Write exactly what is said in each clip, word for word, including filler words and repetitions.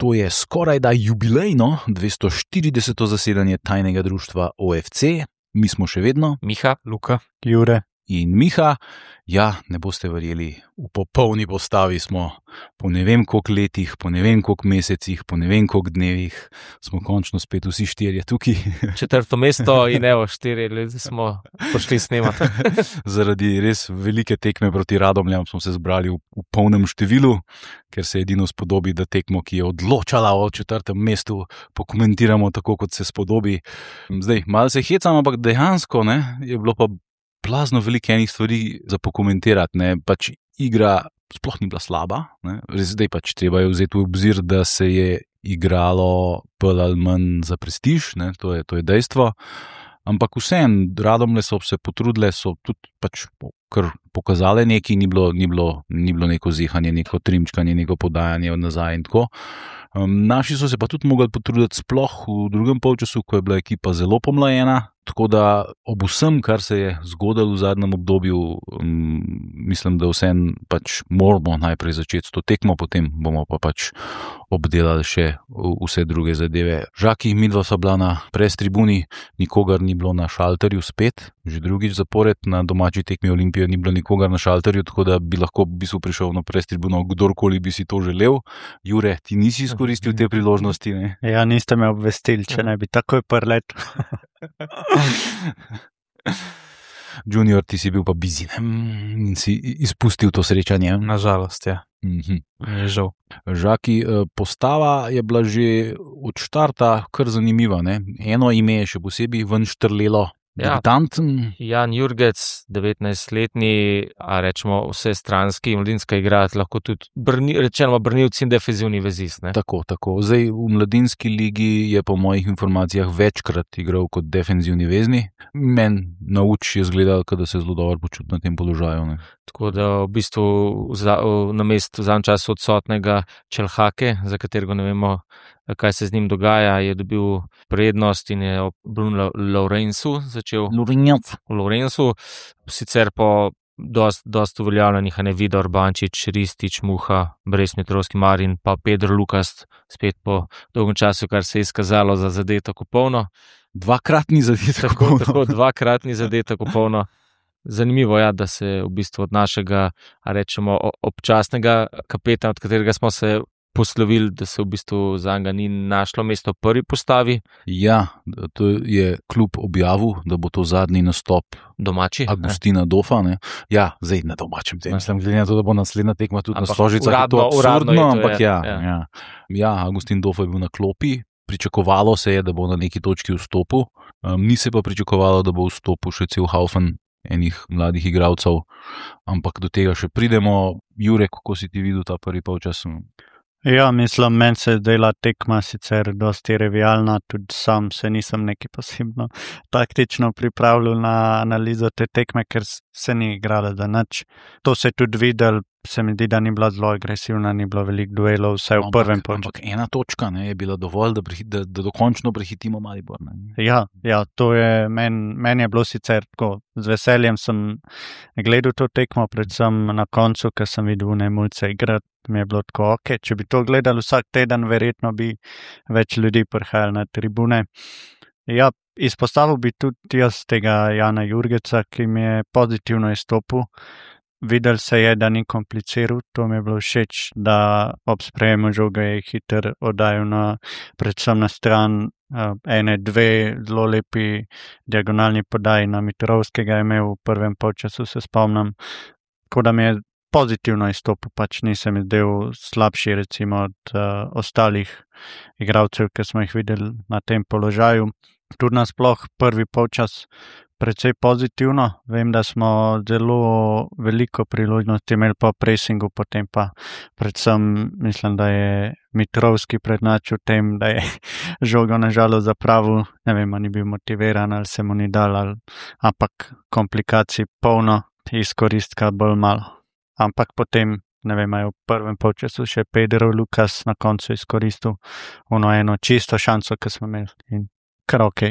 To je skoraj da jubilejno dvesto štirideseto zasedanje tajnega društva O F C. Mi smo še vedno Miha, Luka, Jure in Miha. Ja, ne boste verjeli, v popolni postavi smo po ne vem koliko letih, po ne vem koliko mesecih, po ne vem koliko dnevih, smo končno spet vsi štirje tukaj. Četrto mesto in evo, štiri ljudi smo prišli snemati. Zaradi res velike tekme proti Radomljam smo se zbrali v, v polnem številu, ker se edino spodobi, da tekmo, ki je odločala o četrtem mestu, pokomentiramo tako, kot se spodobi. Zdaj, malo se hecam, ampak dejansko ne, je bilo pa plazno veliko enih stvari za pokomentirati, ne, pač igra sploh ni bila slaba, ne, res zdaj pač treba je vzeti v obzir, da se je igralo bolj ali manj za prestiž, ne, to je, to je dejstvo, ampak vseeno, Radomlje so se potrudile, so tudi pač kar pokazale nekaj, ni bilo, ni bilo, ni bilo neko zihanje, neko trimčkanje, neko podajanje od nazaj in tako. Um, naši so se pa tudi mogli potruditi sploh v drugem polčasu, ko je bila ekipa zelo pomlajena, tako da ob vsem, kar se je zgodilo v zadnjem obdobju, um, mislim, da vseeno pač moramo najprej začeti s to tekmo, potem bomo pa pač obdelali še vse druge zadeve. Žaki, midva sva bila na pres tribuni, nikogar ni bilo na šalterju spet, že drugič zapored na domači tekmi Olimpije ni bilo nikogar na šalterju, tako da bi lahko v bistvu prišel na pres tribuno, kdorkoli bi si to želel. Jure, ti nisi izkoristil te priložnosti, ne? Ja, niste me obvestili, če ne bi takoj prletel. Junior, ti si bil pa busy, ne? In si izpustil to srečanje. Nažalost, ja. Mhm. Je žal. Žaki, postava je bila že od štarta kar zanimiva, ne? Eno ime je še posebej ven štrlelo. Ja. Debitanten. Jan Jurgec, devetnajstletni, a rečemo vse stranski, mladinska igralec, lahko tudi brni, rečeno branilci in defenzivni vezist. Ne? Tako, tako. Zdaj v mladinski ligi je po mojih informacijah večkrat igral kot defenzivni vezni. Meni na uč je zgledal, da se zelo dobro počuti na tem položaju. Ne? Tako da v bistvu za, na mestu v zadnjem času odsotnega Čelhake, za katerega ne vemo, kaj se z njim dogaja, je dobil prednost in je Bruno Lourencu začel. Lourenc. Lourencu, sicer po dost, dost uveljavljenih, a ne Vidor, Bančič, Ristič, Muha, Brezmetrovski Marin, pa Pedro Lukas, spet po dolgem času, kar se je izkazalo za zadetek popolno. Dvakratni zadetek tako, tako, dvakratni zadetek popolno. Zanimivo je, ja, da se v bistvu od našega, a rečemo, občasnega kapetana, od katerega smo se poslovili, da se v bistvu za njega ni našlo mesto v prvi postavi. Ja, to je klub objavil, da bo to zadnji nastop domači Agustina ne? Dofa. Ne? Ja, zdaj na domačem tem. Mislim, glede na to, da bo naslednja tekma tudi ampak na Stožicah. Uradno, to uradno absurdno, je to, ampak je, ja, ja. Ja. ja, Agustin Dofa je bil na klopi. Pričakovalo se je, da bo na neki točki vstopil. Um, ni se pa pričakovalo, da bo vstopil še cel haufen enih mladih igralcev. Ampak do tega še pridemo. Jure, kako si ti videl ta prvi polčas? Ja, mislim, meni se dela tekma sicer dosti revijalna, tudi sam se nisem neki posebno taktično pripravljal na analizo te tekme, ker se ni igrala za nič. To se je tudi videl, se mi zdi, da ni bila zelo agresivna, ni bilo veliko duelov, vse v prvem polčasu. Ampak ena točka ne, je bila dovolj, da, prehit, da, da dokončno prehitimo Maribor. Ne. Ja, ja, to je, meni men je bilo sicer tako, z veseljem sem gledal to tekmo, predvsem na koncu, ker sem videl Nemulce igrati. Mi je bilo tako, ok, če bi to gledali vsak teden, verjetno bi več ljudi prihajali na tribune. Ja, izpostavil bi tudi jaz tega Jana Jurgeca, ki mi je pozitivno izstopil. Videl se je, da ni kompliciral, to mi je bilo všeč, da ob sprejemu žoga je hiter oddajal na, predvsem na stran uh, ene, dve zelo lepi diagonalni podaji na Mitrovskega je imel v prvem polčasu, se spomnim. Tako da mi je pozitivno izstopil, pač nisem zdel slabši recimo od uh, ostalih igralcev, ki smo jih videli na tem položaju. Tudi nasploh prvi polčas precej pozitivno. Vem, da smo zelo veliko priložnosti imeli po pressingu, potem pa predvsem mislim, da je Mitrovski prednačil tem, da je žogo nažalost zapravil, ne vem, ni bil motiviran ali se mu ni dal, ali, ampak komplikacij polno, izkoristka bolj malo. Ampak potem, ne vem, je v prvem polčasu še Pedro Lukas na koncu izkoristil ono eno čisto šanso, ki smo imeli in kar ok.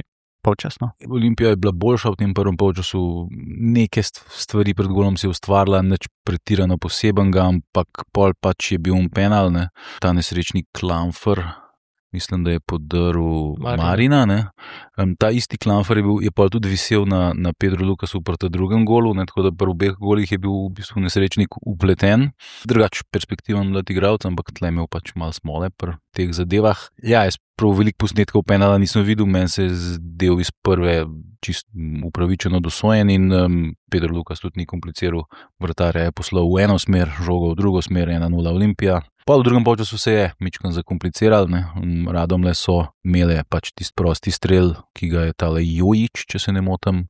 polčas. No. Olimpija je bila boljša v tem prvem polčasu, neke stvari pred golom si je ustvarila, nič pretirano posebenega, ampak pol pač je bil un penal, ne? Ta nesrečni Klamfer, mislim, da je podrl Marina. Marina, ne? Um, ta isti Klamfer je, bil, je pa tudi visel na, na Pedro Lukasu proti drugem golu, ne? Tako da pri obeh golih je bil v bistvu nesrečnik upleten. Drugač perspektiven mlad igralec, ampak tle imel pač malo smole pri teh zadevah. Ja, jaz prav veliko posnetkov penala nisem videl, meni se je zdel iz prve čist upravičeno dosojen in um, Pedro Lukas tudi ni kompliciral, vratarja je poslal v eno smer, žogo v drugo smer, ena nula Olimpija. Pa v drugem polčasu se je mičkan zakompliciral, ne. Radomlje so imele pač tisti prosti strel, ki ga je tale Jojić, če se ne motim,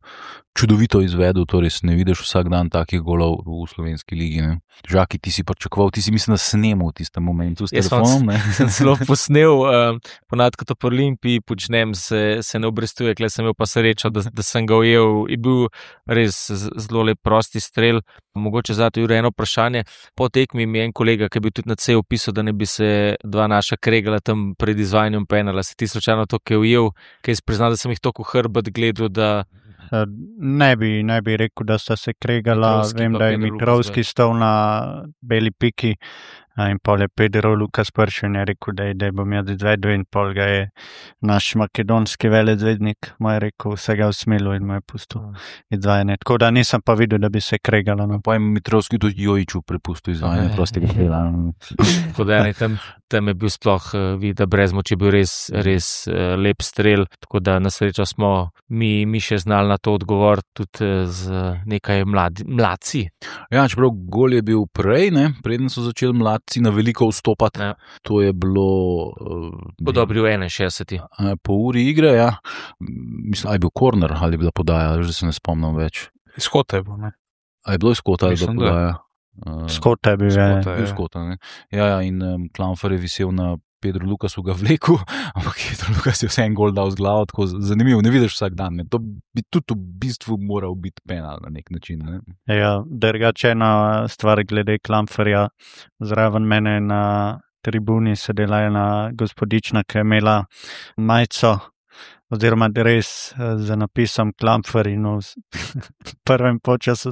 čudovito izvedel, torej ne vidiš vsak dan takih golov v slovenski ligi. Ne. Žaki, ti si pričakoval, ti si mislim, da snemal v tistem momentu s telefonom. Ne. Sem zelo posnel, uh, ponad kot po Olimpiji počnem, se, se ne obrestuje, kle sem imel pa srečo, da, da sem ga ujel. Je bil res zelo lep prosti strel. Mogoče zato je eno vprašanje. Po tekmi mi je en kolega, ki je bil tudi na C opisal, da ne bi se dva naša kregala tam pred izvajanjem penala. Se ti slučajno to, ki je ujel, ki je priznal, da sem jih toliko hrbet gledal, da... Ne bi, ne bi rekel, da sta se kregala. Mitrovski Vem, pa da je Pedro Mitrovski stal na beli piki in pol je Pedro Lukas prši in je rekel, da, je, da bom jaz izvedel in pol ga je naš makedonski velezvednik mu je rekel, vse ga usmilo in mu je pustil izvajanje. Tako da nisem pa videl, da bi se kregala. No. Pa je Mitrovski tudi Jojiću prepustil izvajanje prostega strela. Tako da ne, tam, tam je bil sploh uh, videti, da brez moči je bil res, res uh, lep strel, tako da na srečo smo mi, mi še znali na to odgovor tudi uh, z nekaj mladi, mladci. Ja, čeprav gol je bil prej, ne, preden so začeli mladci na veliko vstopati. Ja. To je bilo... Uh, Po dobri v enainšestdesetih. Po uri igre, ja. Mislim, a je bil korner ali je bila podaja, že se ne spomnim več. Izhod je bil, ne? A je bilo izkota ali je bila Mislim, da. podaja? Uh, Skota je bil, ja. Skota. bil skota, ne. Ja, ja, in um, Klamfer je visel na Pedro Lukasu ga vleku, ampak Pedro Lukas je vse en gol dal z glavo, tako zanimivo, ne vidiš vsak dan. Ne. To bi tudi v bistvu moral biti penal na nek način. Ne. Ja, drugače ena stvar glede Klamferja, zraven mene na tribuni sedela ena gospodična, ki je imela majico oziroma dres z napisom Klamfer in v prvem počasu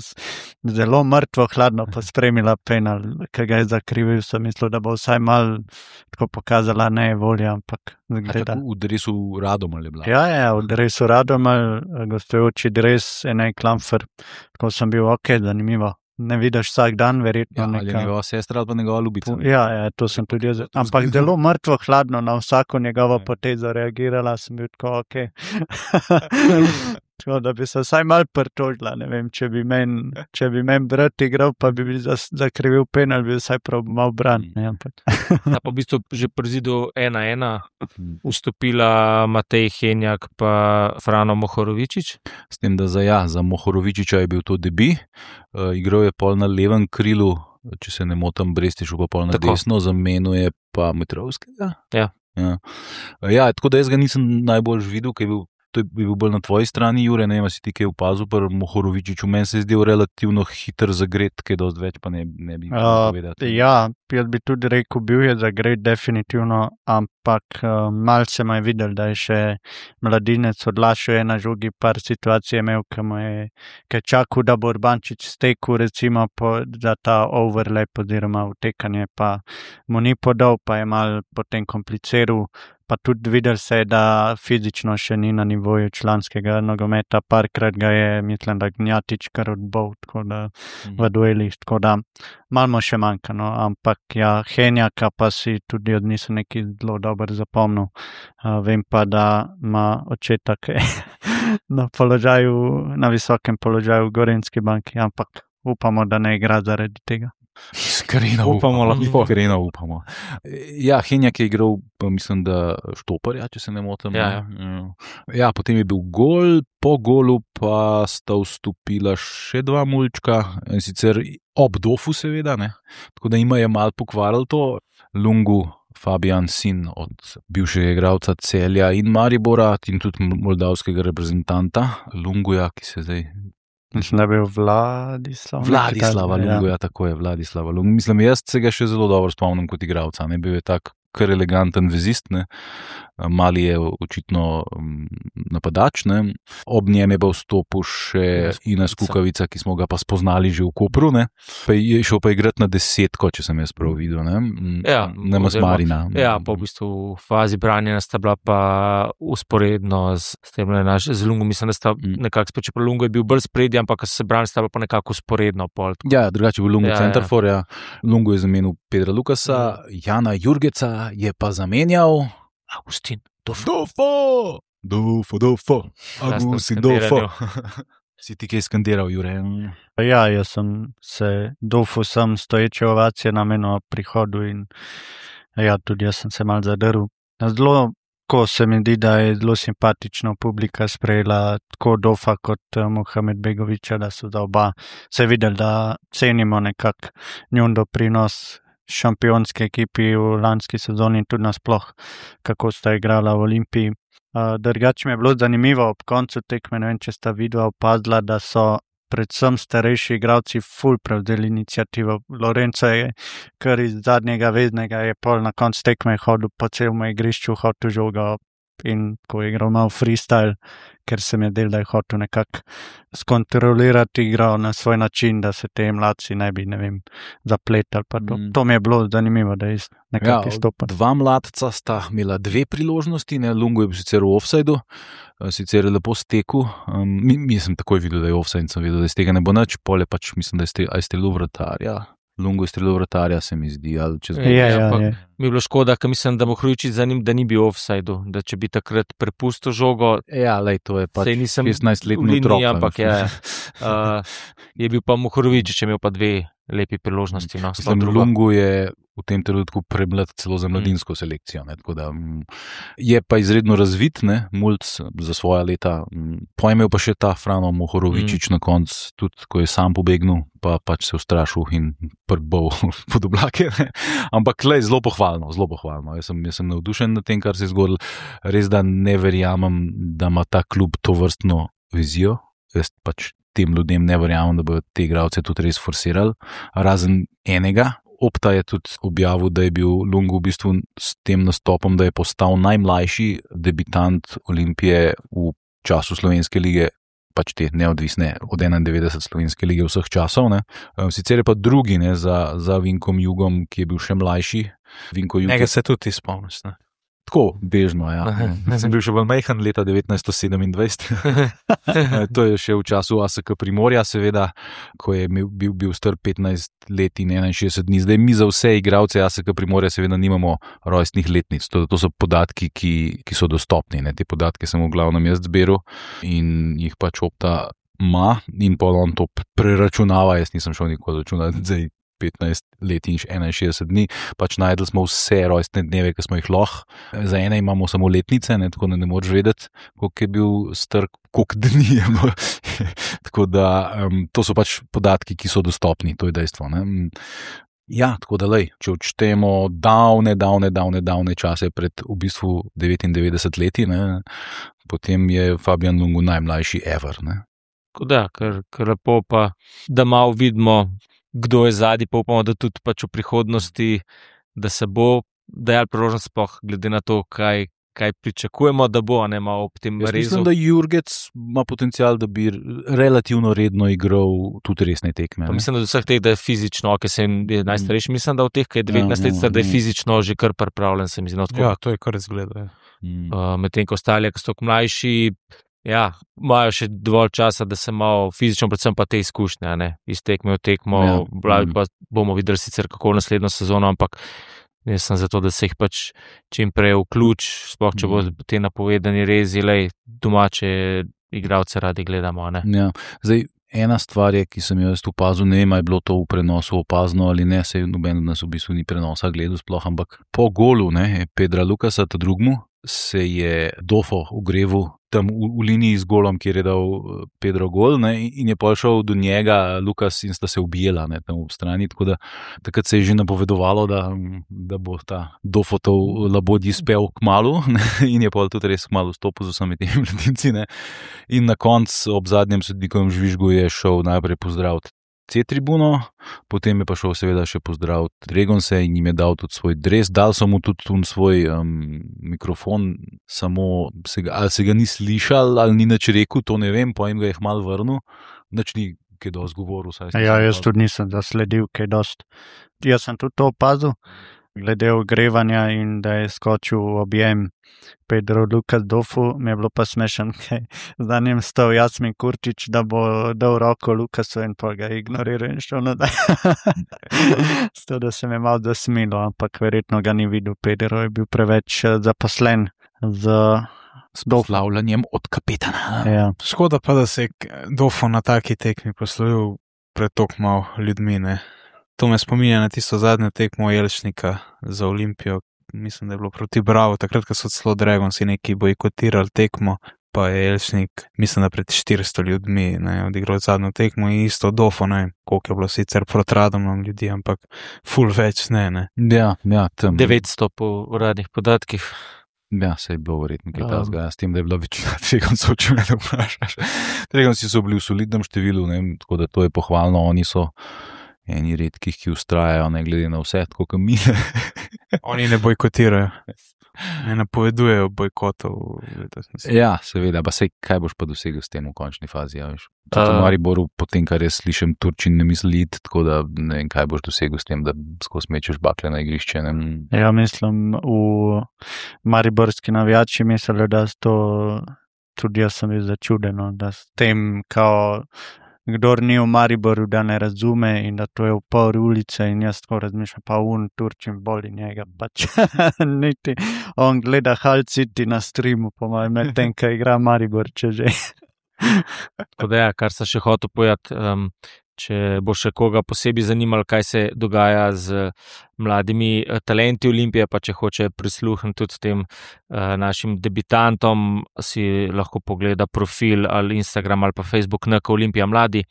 zelo mrtvo hladno pospremila penal, ki ga je zakrivil, sem mislil, da bo vsaj malo tako pokazala ne volja, ampak gleda. V dresu Radomelj je bila. Ja, ja, v dresu Radomelj, gostujoči dres, ena Klamfer, tako sem bil, ok, zanimivo. Ne vidiš vsak dan, verjetno. Ja, ali neka... njegova sestra ali pa njegova ljubica. Ja, ja, to sem tudi jaz. Ampak zelo mrtvo hladno na vsako njegovo potezo reagirala, sem bil tako, ok. Tako da bi se vsaj malo pritožila, ne vem, če bi meni, če bi meni brat igral, pa bi bil zakrivil penal, bi vsaj prav mal bran. Ne, ampak. Ta pa v bistvu že pri zidu ena ena vstopila Matej Henjak pa Frano Mohorovičič. S tem, da za, ja, za Mohorovičiča je bil to debi, uh, igral je pol na levem krilu, če se ne motim, Brestiš pa pol na Tako. desno, zamenjuje pa Mitrovskega. Ja. Ja. ja, tako da jaz ga nisem najbolj videl, ker je bil to je bil bolj na tvoji strani, Jure, ne vem, si ti kaj opazil, pa Mohorovičič, meni se je zdel relativno hiter zagret, kaj dosti več pa ne, ne bi Uh, povedati. ja, jaz bi tudi rekel, bil je zagret definitivno, ampak uh, malce me je videl, da je še mladinec odlašal, je na žogi par situacij imel, ki mu je ki je čakal, da bo Urbančič stekel, recimo po, za ta overlap oziroma vtekanje, pa mu ni podal, pa je mal potem kompliciral. Pa tudi videl se je, da fizično še ni na nivoju članskega nogometa, parkrat ga je, mislim, da Gnjatič kar odbol, tako da v duelih, tako da malo mu še manjka, no, ampak ja, Henjaka pa si tudi od njih nekaj zelo dobro zapomnil. Uh, vem pa, da ima očeta, ki je na položaju, na visokem položaju v Gorenjski banki, ampak upamo, da ne igra zaradi tega. Iskreno Upamo, lahko. Iskreno upamo. Ja, Henjak je igral, pa mislim, da Štoparja, če se ne motim. Ja, ja. ja, potem je bil gol, po golu pa sta vstopila še dva mulčka, in sicer ob dofu seveda, ne. Tako da ima je malo pokvaril to. Lungu, Fabijan, sin od bivšega igralca Celja in Maribora in tudi moldavskega reprezentanta Lunguja, ki se zdaj... Mislim, da je bil Vladislav. Vladislava nekaj takega, Lungu, ja, tako je, Vladislava Lungu. Mislim, jaz se ga še zelo dobro spomnim kot igralca, ne bil je tak kar eleganten vezist, ne. Mali je očitno napadač, ne. Ob njem je pa vstopil še Ines Kukavica, ki smo ga pa spoznali že v Kopru, ne. Pa je šel pa igrati na desetko, če sem jaz prav videl, ne. Ja, ne Masmarina. Ja, pa v bistvu v fazi branjenja sta bila pa usporedno s, s tem, ne, naš, z Lungo, mislim, da sta mm. nekako spet, čeprav Lungo je bil bolj spredje, ampak ko se branili, sta bila pa nekako usporedno. Pol, ja, drugače je bil Lungo ja, centerfor, ja. Lungo je zamenil Pedra Lukasa, mm. Jana Jurgeca je pa zamenjal Agustin Dofo. Dofo, Dofo, Dofo. Agustin Dofo. Si ti kaj skandiral, Jure? Ja, jaz sem se Dofo sem stoječe ovacije namenil prihodu in ja, tudi jaz sem se mal zadrl. Zelo, ko se mi zdi, da je zelo simpatično publika sprejela tako Dofa kot Mohamed Begoviča, da so za oba se videli, da cenimo nekak njun doprinos šampionske ekipi v lanski sezoni in tudi nasploh, kako sta igrala v Olimpiji. Drugače mi je bilo zanimivo ob koncu tekme, ne vem, če sta videla opazila, da so predvsem starejši igralci ful prevzeli iniciativo. Lorenzo je kar iz zadnjega veznega je pol na koncu tekme hodil po celem igrišču, hotel žogo in ko je igral malo freestyle, ker se mi je del, da je hotel nekako skontrolirati igro na svoj način, da se te mladci ne bi, ne vem, zapletali. Pa to, mm. to mi je bilo zanimivo, da je nekako ja, izstopal. Dva mladca sta imela dve priložnosti, ne? Lungo je bil sicer v offsideu, sicer je lepo stekel. Um, mi, mi sem takoj videl, da je offside in sem videl, da iz tega ne bo nič, pole pač mislim, da je strelil vratarja. Lungo je strelil vratarja, se mi zdi. Ali čez... je, je, je, je. Mi je bilo škoda, ker mislim, da Mohorovičić za njim, da ni bil v offsideu, da če bi takrat prepustil žogo. Ja, lej, to je pač šestnajstletni liniji, otrok. Ampak je, uh, je bil pa Mohorovičić, če imel pa dve lepi priložnosti. No, mislim, Lungo je v tem trenutku premlad celo za mladinsko selekcijo. Ne, tako da, je pa izredno razvit, ne, mulc za svoja leta. Pojmel pa še ta Frano Mohorovičić mm. na koncu, tudi ko je sam pobegnil, pa pač se ustrašil in prbol pod oblake. Ne. Ampak lej, zelo pohvalno, zelo pohvalno. Jaz sem, jaz sem navdušen na tem, kar se je zgodilo. Res, da ne verjamem, da ima ta klub to vrstno vizijo. Jaz pač tem ljudem ne verjamem, da bodo te igralce tudi res forsirali. Razen enega. Opta je tudi objavil, da je bil Lungo v bistvu s tem nastopom, da je postal najmlajši debitant Olimpije v času Slovenske lige, pač te neodvisne od enaindevetdeset Slovenske lige vseh časov. Ne. Sicer je pa drugi, ne, za, za Vinkom Jugom, ki je bil še mlajši. Vinko Jug. Njega se tudi spomniš, ne? Tako, bežno, ja. Jaz sem bil še bolj majhen leta devetnajststo sedemindvajset. To je še v času A S K Primorja, seveda, ko je bil, bil star petnajst let in enainšestdeset dni. Zdaj mi za vse igralce A S K Primorja seveda nimamo rojstnih letnic. To, to so podatki, ki, ki so dostopni. Ne? Te podatke sem v glavnem jaz zberal in jih pač Opta ima in pa on to preračunava. Jaz nisem šel nikoli računati zdaj petnajst let in enainšestdeset dni, pač najdli smo vse rojstne dneve, ki smo jih lahko. Za ene imamo samo letnice, ne, tako da ne moreš vedeti, koliko je bil star, koliko dni je bilo. Tako da, um, to so pač podatki, ki so dostopni, to je dejstvo. Ne. Ja, tako da lej, če odštejemo davne, davne, davne, davne čase pred v bistvu devetindevetdeset leti, ne, potem je Fabian Lungo najmlajši ever. Ne. Tako da, ker, ker lepo pa, da malo vidimo, kdo je zadnji, pa upamo, da tudi pač v prihodnosti, da se bo dajal priložnost sploh, glede na to, kaj, kaj pričakujemo, da bo, ne malo ob tem rezu. Mislim, da Jurgec ima potencial, da bi relativno redno igral tudi resne tekme. Pa mislim, da od vseh teh, da je fizično, ki se je najstarejši, mislim, da od teh, ki je devetnajst let, da je fizično že kar pripravljen, se mi zdi. Ja, to je kar izgleda. Mm. Uh, medtem ko ostali, ki so mlajši, ja, imajo še dovolj časa, da se malo fizično, predvsem pa te izkušnje, ne, iz tekme v tekmo, ja. Blavi, pa bomo videli sicer kako v naslednjo sezono, ampak jaz sem zato, da se jih pač čim prej vključ, sploh če bo te napovedani rezi, lej, domače igralce radi gledamo, ne. Ja, zdaj, ena stvar je, ki sem jo jaz opazil, ne vem, je bilo to v prenosu opazno ali ne, se noben od nas v bistvu ni prenosa gledal sploh, ampak po golu, ne, Pedra Lukasa, ta drugmu, se je Dofo ugreval tam v, v liniji z golom, kjer je dal Pedro gol, ne, in je pošel do njega Lukas in sta se ubijela, ne, tam v strani, tako da takrat se je že napovedovalo, da, da bo ta Dofotov labodji spel kmalu, ne, in je pol tudi res kmalu stopil z vsemi temi mladinci, ne, in na koncu ob zadnjem sodnikovem žvižgu je šel najprej pozdraviti C-tribuno, potem je pa šel seveda še pozdraviti Dragonse in jim je dal tudi svoj dres, dal so mu tudi tu svoj um, mikrofon, samo se ga, ali se ga ni slišal, ali ni nič rekel, to ne vem, pa jim ga je malo vrnil, nič ni kaj dosti govoril. Ja, jaz tudi nisem zasledil kaj dosti. Jaz sem tudi to opazil, glede ogrevanja in da je skočil objem Pedro Lukas Dofu, mi je bilo pa smešen, kaj za njim stal Jasmin Kurčič, da bo dal roko Lukasu in pa ga ignoriral in šel nadaj. Sto, da se mi je malo zasmilo, ampak verjetno ga ni videl. Pedro je bil preveč zaposlen z S poslavljanjem od kapetana. Ja. Škoda pa, da se je Dofo na taki tekmi poslovil pred toliko malo ljudmi, ne. To me spominja na tisto zadnjo tekmo Jelšnika za Olimpijo, mislim, da je bilo proti Bravo, takrat, ko so celo Dragonsi neki bojkotirali tekmo, pa je Jelšnik, mislim, da pred štiristo ljudmi, ne, odigral zadnjo tekmo in isto Dofo, ne vem, koliko je bilo sicer proti Radomljam ljudi, ampak ful več ne, ne. Ja, ja, tam. devetsto po uradnih podatkih. Ja, se je bilo verjetno kaj tazga, s tem, da je bila večina Dragoncov, če me ne vprašaš. Dragonsi so bili v solidnem številu, ne, tako da to je pohvalno, oni so eni redkih, ki ustrajajo, ne glede na vse, tako kot mi. Oni ne bojkotirajo, ne napovedujejo bojkotov. Ja, seveda, pa sej, kaj boš pa dosegel s tem v končni fazi, ja, veš. Tudi v Mariboru, potem, kar jaz slišim, Turčin ne misli iti, tako da ne vem, kaj boš dosegel s tem, da skozi mečeš bakle na igrišče. Ne? Ja, mislim, v mariborski navijači mislijo, da to tudi jaz sem bil začudeno, da s tem, kao, kdor ni v Mariboru, da ne razume in da to je v pol ulice in jaz tako razmišljam, pa un Turčin boli njega, pač niti on gleda Hull City na streamu, po mojem, med tem, kaj igra Maribor, če že. Tako da ja, kar sem še hotel povedati, um, če bo še koga posebej zanimalo, kaj se dogaja z mladimi talenti Olimpije, pa če hoče prisluhniti tudi tem uh, našim debitantom, si lahko pogleda profil ali Instagram ali pa Facebook N K Olimpija Mladi.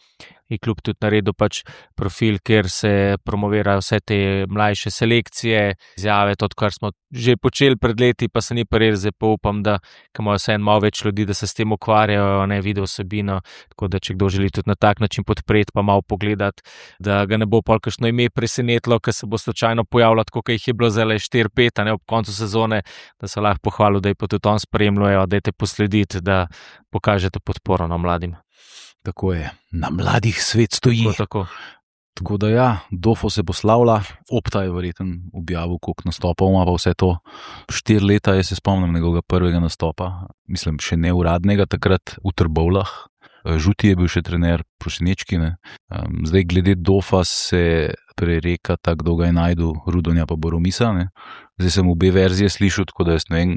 Je klub tudi naredil pač profil, kjer se promovirajo vse te mlajše selekcije, izjave, to, kar smo že počeli pred leti, pa se ni pa res, zdaj pa upam, da imajo vse en malo več ljudi, da se s tem ukvarjajo, ne video vsebino, tako da če kdo želi tudi na tak način podpreti, pa malo pogledati, da ga ne bo pol kakšno ime presenetilo, ker se bo slučajno pojavljalo, tako kot jih je bilo zdaj štiri pet, ob koncu sezone, da se lahko pohvalil, da je pa tudi on spremljajo, da je te poslediti, da pokažete podporo na mladim. Tako je, na mladih svet stoji. Tako, tako. Tako da ja, Dofo se poslavlja, Opta je verjeten objavil, koliko nastopov ima pa vse to. Štiri leta je se spomnim njegovega prvega nastopa, mislim še ne uradnega takrat v Trbovljah. Žuti je bil še trener, Prosinečki, ne. Um, zdaj glede Dofa se prereka tako, da ga je najdu Rudonja pa Boromisa, ne. Zdaj sem obe verzije slišal, tako da jaz ne vem,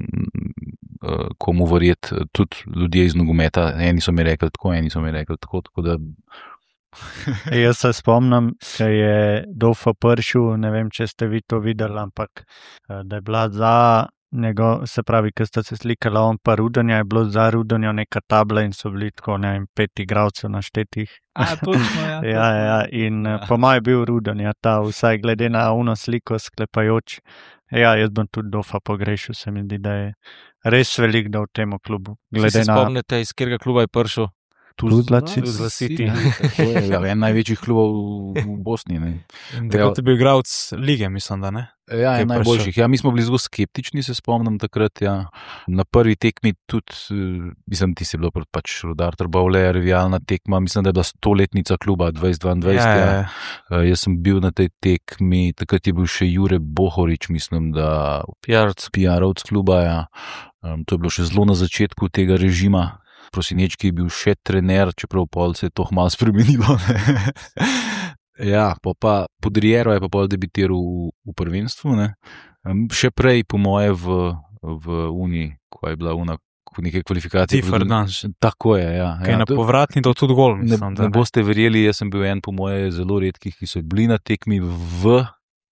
komu verjeti, tudi ljudje iz nogometa, eni so mi rekli tako, eni so mi rekli tako, tako da... Jaz se spomnim, ko je Dofo prišel, ne vem, če ste vi to videli, ampak da je bila za njegov, se pravi, ko sta se slikala on pa Rudonja, je bilo za Rudonja neka tabla in so bili tako, ne vem, pet igralcev naštetih. A, točno, ja. ja, ja, in ja. Po mojem je bil Rudonja ta, vsaj glede na uno sliko sklepajoč. Ja, jaz bom tudi Dofa pogrešil, se mi zdi, da je res velik da v tem klubu. Glede se na... spomnite, iz katerega kluba je prišel? Tuzla City. Tuzla City. Ja, en največjih klubov v Bosni. Takrat je bil igralec lige, mislim, da ne? Ja, en najboljših. Ja, mi smo bili zelo skeptični, se spomnim takrat. Ja. Na prvi tekmi tudi, mislim, ti si bilo pač Rudar Trbovlje, rivalna tekma, mislim, da je bila stoletnica kluba dvajset dvaindvajset. Ja, ja. Ja. Jaz sem bil na tej tekmi, takrat je bil še Jure Bohorič, mislim, da P R-ovc kluba. Ja. Um, to je bilo še zelo na začetku tega režima. Prosinečki je bil še trener, čeprav pol se je to malo spremenilo. Ja, pa, pa Podriero je pa pol debitiral v, v prvenstvu. Ne. Še prej, po moje, v, v Uni, ko je bila Una neke kvalifikacije. Ti Ferdanž. Tako je, ja. Kaj ja, na povratni do tudi gol, mislim. Ne, ne, ne boste verjeli, jaz sem bil en po moje zelo redkih, ki so bili na tekmi v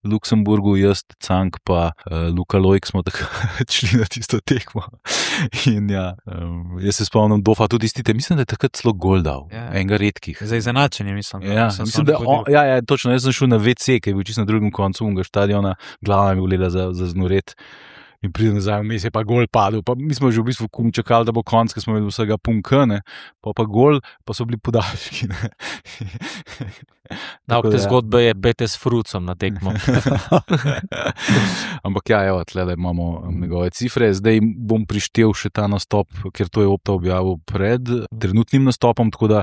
Luksemburgu, jaz, Cank pa uh, Luka Lojk smo tako šli na tisto tekmo. In ja, um, jaz se spomnim Dofa tudi istite, mislim, da je takrat celo gol dal, ja. Enega redkih. Za izenačenje, mislim. Ja, mislim, da on, ja, ja, točno, jaz sem šel na ve ce, ki je bil čisto na drugem koncu unga štadiona, glava mi je gledala za, za znoret. In pride nazaj, vmes je pa gol padel. Pa mi smo že v bistvu kum čakali, da bo konc, ker smo imeli vsega punkane, pa pa gol, pa so bili podaljški. Nauk te zgodbe je bete s frucom na tekmo. Ampak ja, evo, tlele imamo njegove cifre. Zdaj bom prištel še ta nastop, ker to je Opta objavil pred trenutnim nastopom, tako da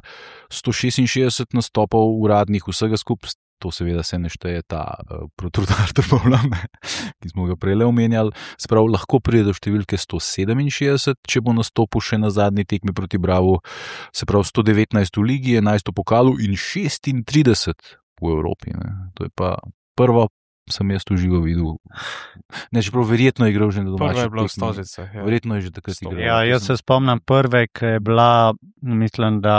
sto šestinšestdeset nastopov uradnih vsega skupaj. To seveda se ne šteje ta uh, Protrudar Trbovljam, ki smo ga prej omenjali. Sprav, lahko pride do številke sto sedeminšestdeset, če bo nastopil še na zadnji tekmi proti Bravu. Se pravi, sto devetnajst v ligi, enajst v pokalu in šestintrideset v Evropi. Ne. To je pa prvo, sem jaz tu živo videl. Ne, čeprav verjetno je igral že na domačih. Prvo je bilo v Stožicah. Ja. Verjetno je že takrat igral. Ja, jaz se spomnim prve, ki je bila, mislim, da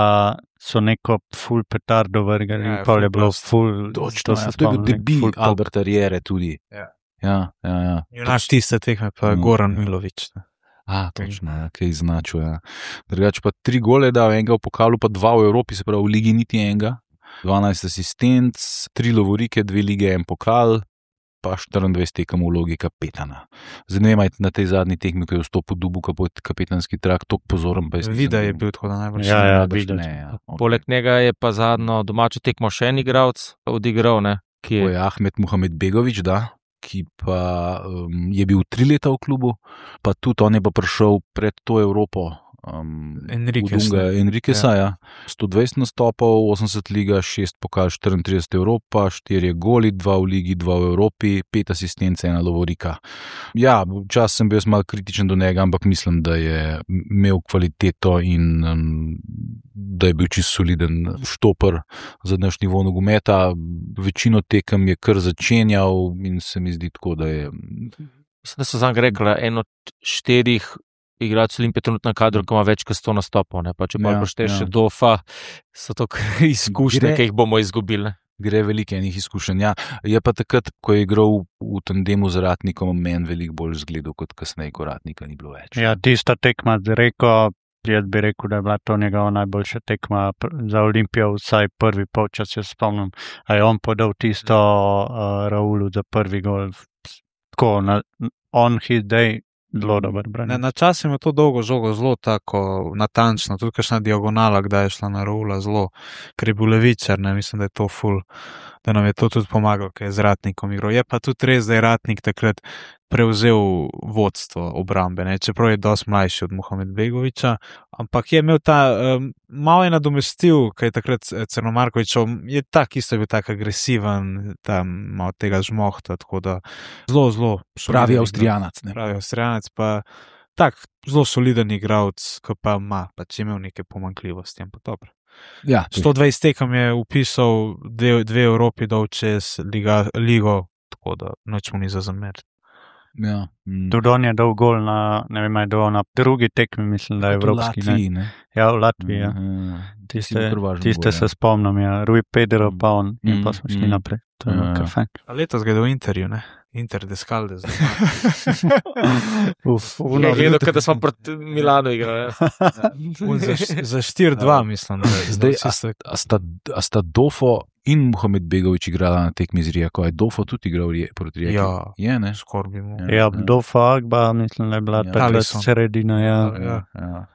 so neko full petardo vrgali, Ja, ja, pa je full bilo blast. full, Točno, se ja, to je bil spomnim, debil full pop. Alberta Riere tudi. Ja. Ja, ja, ja. Junak tiste tekme pa Mm. Goran Milović. Ne. A, točno, ja, kaj iznačil. Ja. Drugače pa tri gole dal, enega v pokalu, pa dva v Evropi, se pravi v ligi niti enega. dvanajst asistenc, tri lovorike, dve lige, en pokal, pa štiriindvajset tekem v vlogi kapetana. Zdaj ne vem, ali na tej zadnji tekmi, ko je vstopil Dubu kapetanski trak, toliko pozoren. Pa jaz nisem Vida je bil. bil tako da najbolj. Ja, ja, Najbrž videti. ne, ja. Okay. Poleg njega je pa zadnjo domačo tekmo še en igralec odigral, ne, ki To je je Ahmed Muhamed Begović, da, ki pa um, je bil tri leta v klubu, pa tudi on je pa prišel pred to Evropo. Um, Enriquez, Udunga ne. Enriqueza, ja. sto dvajset nastopov, osemdeset liga, šest pokal, štiriintrideset Evropa, štiri goli, dva v ligi, dva v Evropi, pet asistence, ena lovorika. Ja, včasih sem bil jaz malo kritičen do njega, ampak mislim, da je imel kvaliteto in um, da je bil čisto soliden štoper za naš nivo nogometa. Večino tekem je kar začenjal in se mi zdi tako, da je. Mislim, da so zanj rekla, en od štirih igralcev Olimpije trenutno na kadru, ki ima več kot sto nastopov. Ne? Pa če pa Ja, pošteješ ja. še Dofa, so to kar izkušnje, Gre- ki jih bomo izgubili. Ne? Gre veliko enih izkušenj. Ja, je pa takrat, ko je igral v tandemu z Ratnikom, meni veliko bolj zgledal kot kasneje, ko Ratnika ni bilo več. Ja, tista tekma z Reko, jaz bi rekel, da je bila to njegova najboljša tekma pr- za Olimpijo, vsaj prvi polčas, jaz spomnim, a je on podal tisto uh, Raulu za prvi gol. Tako, na, on his day, zelo dober Ne, branilec. na čas je to dolgo žogo zelo tako natančno, tudi kakšna diagonala, kdaj je šla na Raula zelo, ker je bil levičar, ne, mislim, da je to ful, da nam je to tudi pomagalo, ker je z Ratnikom igral. Je pa tudi res, da je Ratnik takrat prevzel vodstvo obrambe, ne, čeprav je dosti mlajši od Muhamed Begovića, ampak je imel ta, um, malo je nadomestil, kaj je takrat Crnomarkovićov, je tak isto je bil tak agresiven, tam malo tega žmohta, tako da zelo, zelo Pravi soliden Avstrijanac. Ne? pravi Avstrijanec, pa tak zelo soliden igralec, ki pa ima, pač je imel neke pomanjkljivosti, ampak dobro. Ja, sto dvajset tekem je upisal, dve, dve Evropi dol čez liga, ligo, tako da noč mu ni za zameriti. ja. mm. Tudi on je dal gol na, ne vem, je dal na drugi tekmi, mislim, da je Kot v evropski. Ne? Latviji, ne? Ja, v Latviji, ja. Mhm. Tiste, kar važno tiste gol, se ja. spomnim, ja. Rui Pedro pa on, in pa Mm, smo šli mm. naprej. To je Ja, bilo kar ja. fajn. A letos ga je v Interju, ne? Inter de Skalde. Uf, Je gledal, kot da smo proti Milanu igrali. Ja. za, za štiri dva, mislim. Da, je Zdaj, vsi se- A sta, a sta Dofo in Muhamed Begović igrala na tekmi z Rijeko? Je Dofo tudi igral Rije- proti Rijeki? Ja. Je, ne? skoraj bi mu. Ja. Ja, do Fagba, mislim, da je bila Ja. takrat Alisson. sredina, ja. Ja, ja.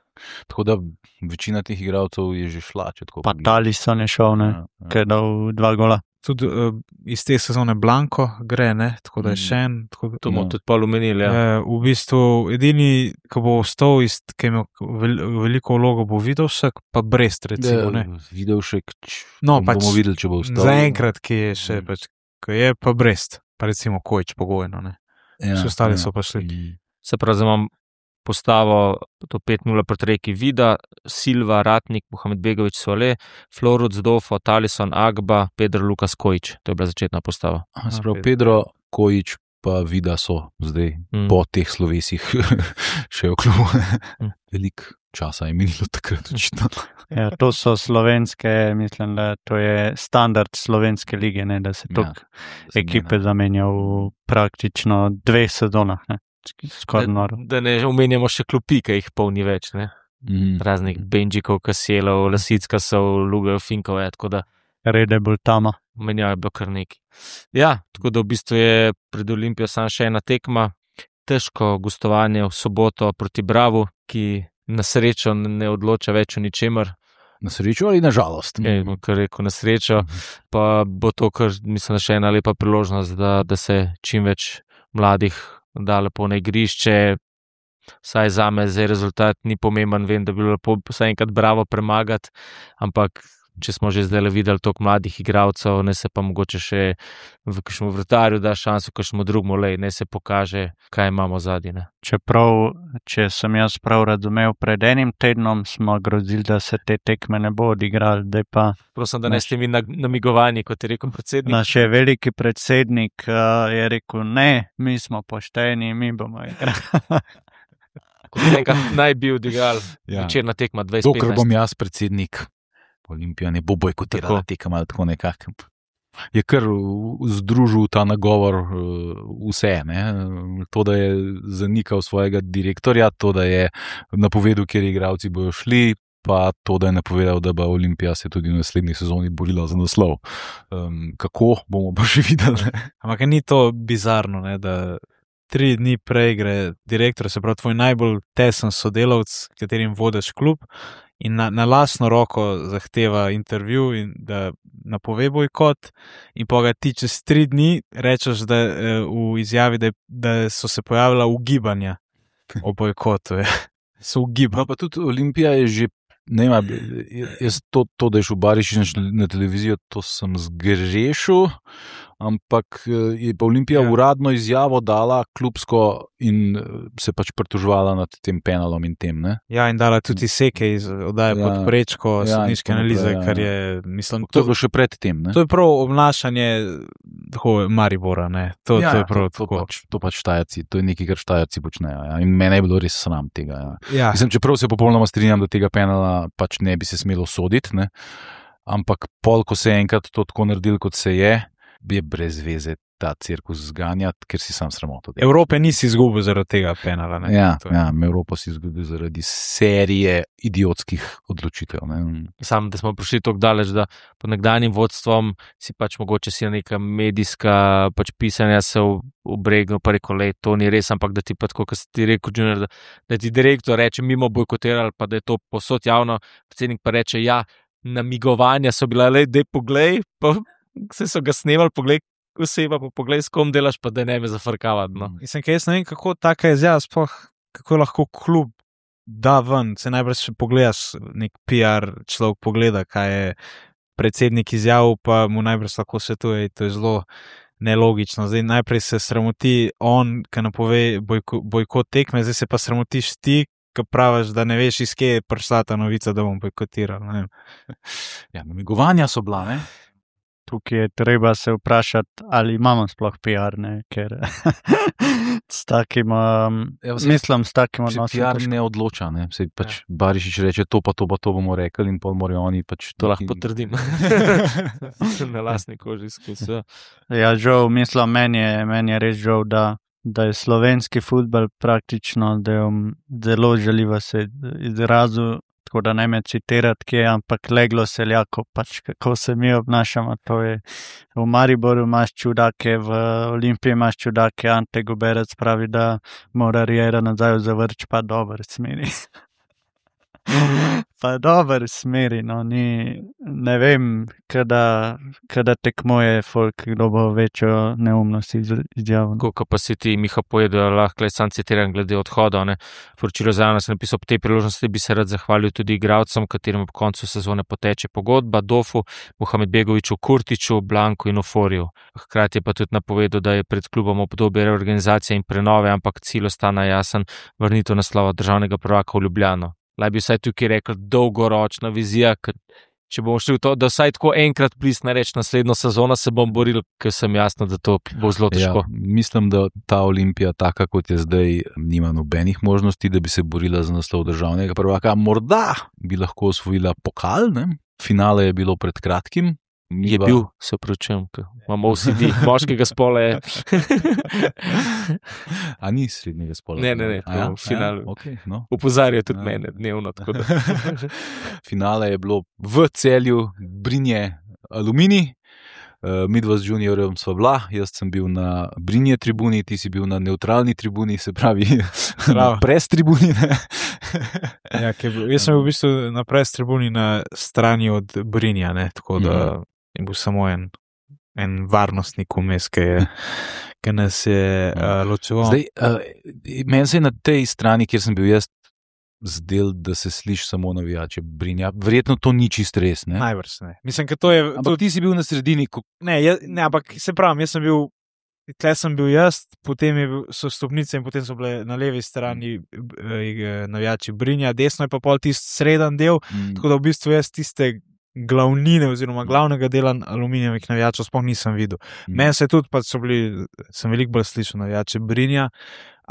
Tako da večina teh igralcev je že šla, če tako Pa pogledam. Talisson je šel, ne, Ja, ja. ki je dal dva gola. Tudi uh, iz te sezone Blanko gre, ne? Tako da je Mm. še en. Tako da, To bomo Ja. tudi pol omenili. Ja. Ja, v bistvu edini, ki bo ostal, iz, ki je imel vel, veliko vlogo, bo Vidovšek, pa Brest, recimo. Ne? Videl še, č, No, bom- pač bomo videli, če bo ostal. Zaenkrat, ki je še, Mm. pač, ki je pa Brest, pa recimo Kojč pogojno. Ne? Ja, Vsi ostali ja. so pa šli. Mm. Se pravi, zdaj imam postavo, to pet nula proti Reki Vida, Silva, Ratnik, Muhamed Begović, Sole, Floruc, Dofo, Talisson, Agba, Pedro Lukas Kojić. To je bila začetna postava. Aha, se A, pravi, Pedro. Pedro Kojić pa Vida so zdaj Mm. po teh slovesih še v klubu. Mm. Veliko časa je minilo takrat, očitno. Ja, to so slovenske, mislim, da to je standard slovenske lige, ne, da se Ja, toliko ekipe zamenja v praktično dveh sezonah. Ne. Skoraj Da, noro. da ne omenjamo še klopi, ki jih polni več. Ne? Mm. Raznih Benžikov, Kaselov, Lasic, Kasov, Lugev, Finkov, ja, tako da Rede bolj tama. menjajo bilo kar nekaj. Ja, tako da v bistvu je pred Olimpijo samo še ena tekma, težko gostovanje v soboto proti Bravu, ki na srečo ne odloča več o ničemer. Na srečo ali na žalost? Je, kar rekel, na srečo. Pa bo to, kar mislim, še ena lepa priložnost, da, da se čim več mladih da lepo na igrišče. Saj za me zdaj rezultat ni pomemben, vem, da bi bilo lepo vsaj enkrat Bravo premagati, ampak če smo že zdaj videli toliko mladih igralcev, ne se pa mogoče še v kakšnem vratarju da šanso, v kakšnem drugem, lej, ne se pokaže, kaj imamo zadnji. Ne. Čeprav, če sem jaz prav razumel, pred enim tednom smo grozili, da se te tekme ne bo odigrali, da pa... Prosim, da ne ste mi namigovani, kot je rekel predsednik. Naš je veliki predsednik uh, je rekel, ne, mi smo pošteni, mi bomo igrali. Kot enkrat naj bi odigrali Ja. večerna tekma dvajset petnajst. Dokler bom jaz predsednik, Olimpija ne bo bojkotirala Tako. tekem ali tako nekako. Je kar združil ta nagovor vse. Ne? To, da je zanikal svojega direktorja, to, da je napovedal, kjer igralci bojo šli, pa to, da je napovedal, da bo Olimpija se tudi v naslednji sezoni borila za naslov. Um, kako, bomo pa še videli. Ampak ni to bizarno, ne, da tri dni prej gre direktor, se pravi tvoj najbolj tesen sodelavc, katerim vodiš klub, in na, na lastno roko zahteva intervju in da napove bojkot, in pa ga ti čez tri dni rečeš, da v izjavi, da, da so se pojavila ugibanja o bojkotu. Je. So ugibali. No, pa tudi Olimpija je že, ne vem, jaz to, to, da je šel Barišič na televizijo, to sem zgrešil, ampak je pa Olimpija Ja. uradno izjavo dala klubsko in se pač pritoževala nad tem penalom in tem. Ne? Ja, in dala tudi seke iz oddaje Ja. pod prečko, Ja, sodniške in tako analize, naprej, ja. kar je, mislim, To je bilo še pred tem. Ne? To je prav obnašanje tako Maribora, ne? To, ja, to je prav to, to, tako. pač, to pač štajerci, to je nekaj, kar štajerci počnejo. Ja. In mene je bilo res sram tega. Ja. Ja, Mislim, čeprav se popolnoma strinjam, da tega penala pač ne bi se smelo soditi, ne? Ampak pol, ko se je enkrat to tako naredil, kot se je, je brez veze ta cirkus zganjati, ker si sam sramoto. Evrope nisi izgubil zaradi tega penala. Ne? Ja, To je- ja, Evropo si izgubil zaradi serije idiotskih odločitev. Ne? Sam, da smo prišli tako daleč, da pod nekdanjim vodstvom si pač mogoče si neka medijska pač pisanja se obregnil, pa rekel, le, to ni res, ampak da ti pa tako, kot si ti rekel, Junior, da, da ti direktor reče, mimo bojkotirali, pa da je to posod javno, predsednik pa reče, ja, namigovanja so bila, le, dej poglej, pa se so ga snemali, poglej, oseba, pa poglej, s kom delaš, pa da ne me zafrkavati. No. Mislim, ker jaz ne vem, kako taka izjava, sploh kako lahko klub da ven. Se najprej še pogledaš, nek P R človek pogleda, kaj je predsednik izjavil, pa mu najprej lahko svetuje. To je zelo nelogično. Zdaj najprej se sramoti on, ki napove bojko, bojkot tekme, zdaj se pa sramotiš ti, ki praviš, da ne veš, iz kje je prišla ta novica, da bom bojkotiral. Ne vem. Ja, namigovanja so bila, ne? Tukaj je treba se vprašati, ali imamo sploh P R, ne? Ker s takim, um, Ja, vse- mislim, s takim Se odnosom. P R težko. ne odloča, ne? Sej pač ja. Barišič reče, to pa to pa to bomo rekli in pol morajo oni pač... To lahko neki- potrdim. Na lastni koži izkusil. Ja, žal, mislim, meni je, meni je res žal, da, da je slovenski futbol praktično, da je um, zelo žaljivo se izrazil, tako da ne me citirati, kje, ampak leglo seljako, pač kako se mi obnašamo. To je v Mariboru imaš čudake, v Olimpiji imaš čudake, Ante Goberec pravi, da mora Riera nazaj zavrč, pa dober smeri. Pa dober smeri, no, ni, ne vem, kada, kada tekmuje folk, kdo bo večjo neumnost iz, izjavil. Ko pa si ti, Miha, povedal, lahko le sam citiram glede odhoda. Ne. Poročilo za nas je napisal, po tej priložnosti bi se rad zahvalil tudi igralcem, katerim ob koncu sezone poteče pogodba, Dofu, Mohamed Begoviču, Kurtiču, Blanku in Oforju. Hkrati je pa tudi napovedal, da je pred klubom obdobje reorganizacije in prenove, ampak cilj ostane jasen, vrnitev naslova državnega prvaka v Ljubljano. Laj bi vsaj tukaj rekel dolgoročna vizija, ker če bomo šli v to, da vsaj tako enkrat plisne reč naslednjo sezono, se bom boril, ker sem jasno, da to bo zelo težko. Ja, mislim, da ta Olimpija, taka kot je zdaj, nima nobenih možnosti, da bi se borila za naslov državnega prvaka. Morda bi lahko osvojila pokal, ne? Finale je bilo pred kratkim. Je Ba- bil, se pravčujem, ker imamo O C D, moškega spola je. A ni srednjega spola? Ne, ne, ne, A ja? to v finalu. Ja, okay, no. Opozarja tudi Ja. mene dnevno. Tako da. Finale je bilo v Celju, Brinje, Aluminij. Uh, midva z juniorjem sva bila, jaz sem bil na Brinje tribuni, ti si bil na neutralni tribuni, se pravi na pres tribuni. Ja, bil, jaz sem bil v bistvu na pres tribuni na strani od Brinja, ne, tako da mm. je bil samo en, en varnostnik vmes, ki je ki nas je uh, ločeval. Zdaj, uh, meni se je na tej strani, kjer sem bil jaz, zdel, da se sliši samo navijače Brinja. Verjetno to ni čist res, ne? Najbrž ne. Mislim, da to je... Ampak to... ti si bil na sredini. Ko... Ne, jaz, ne, ampak se pravim, jaz sem bil, tle sem bil jaz, potem je bil, so stopnice in potem so bile na levi strani eh, navijači Brinja, desno je pa pol tist sredan del, mm. tako da v bistvu jaz tiste glavnine oziroma glavnega dela aluminijevih navijačev sploh nisem videl. Mm. Meni se tudi, pa so bili, sem veliko bolj slišal navijače Brinja,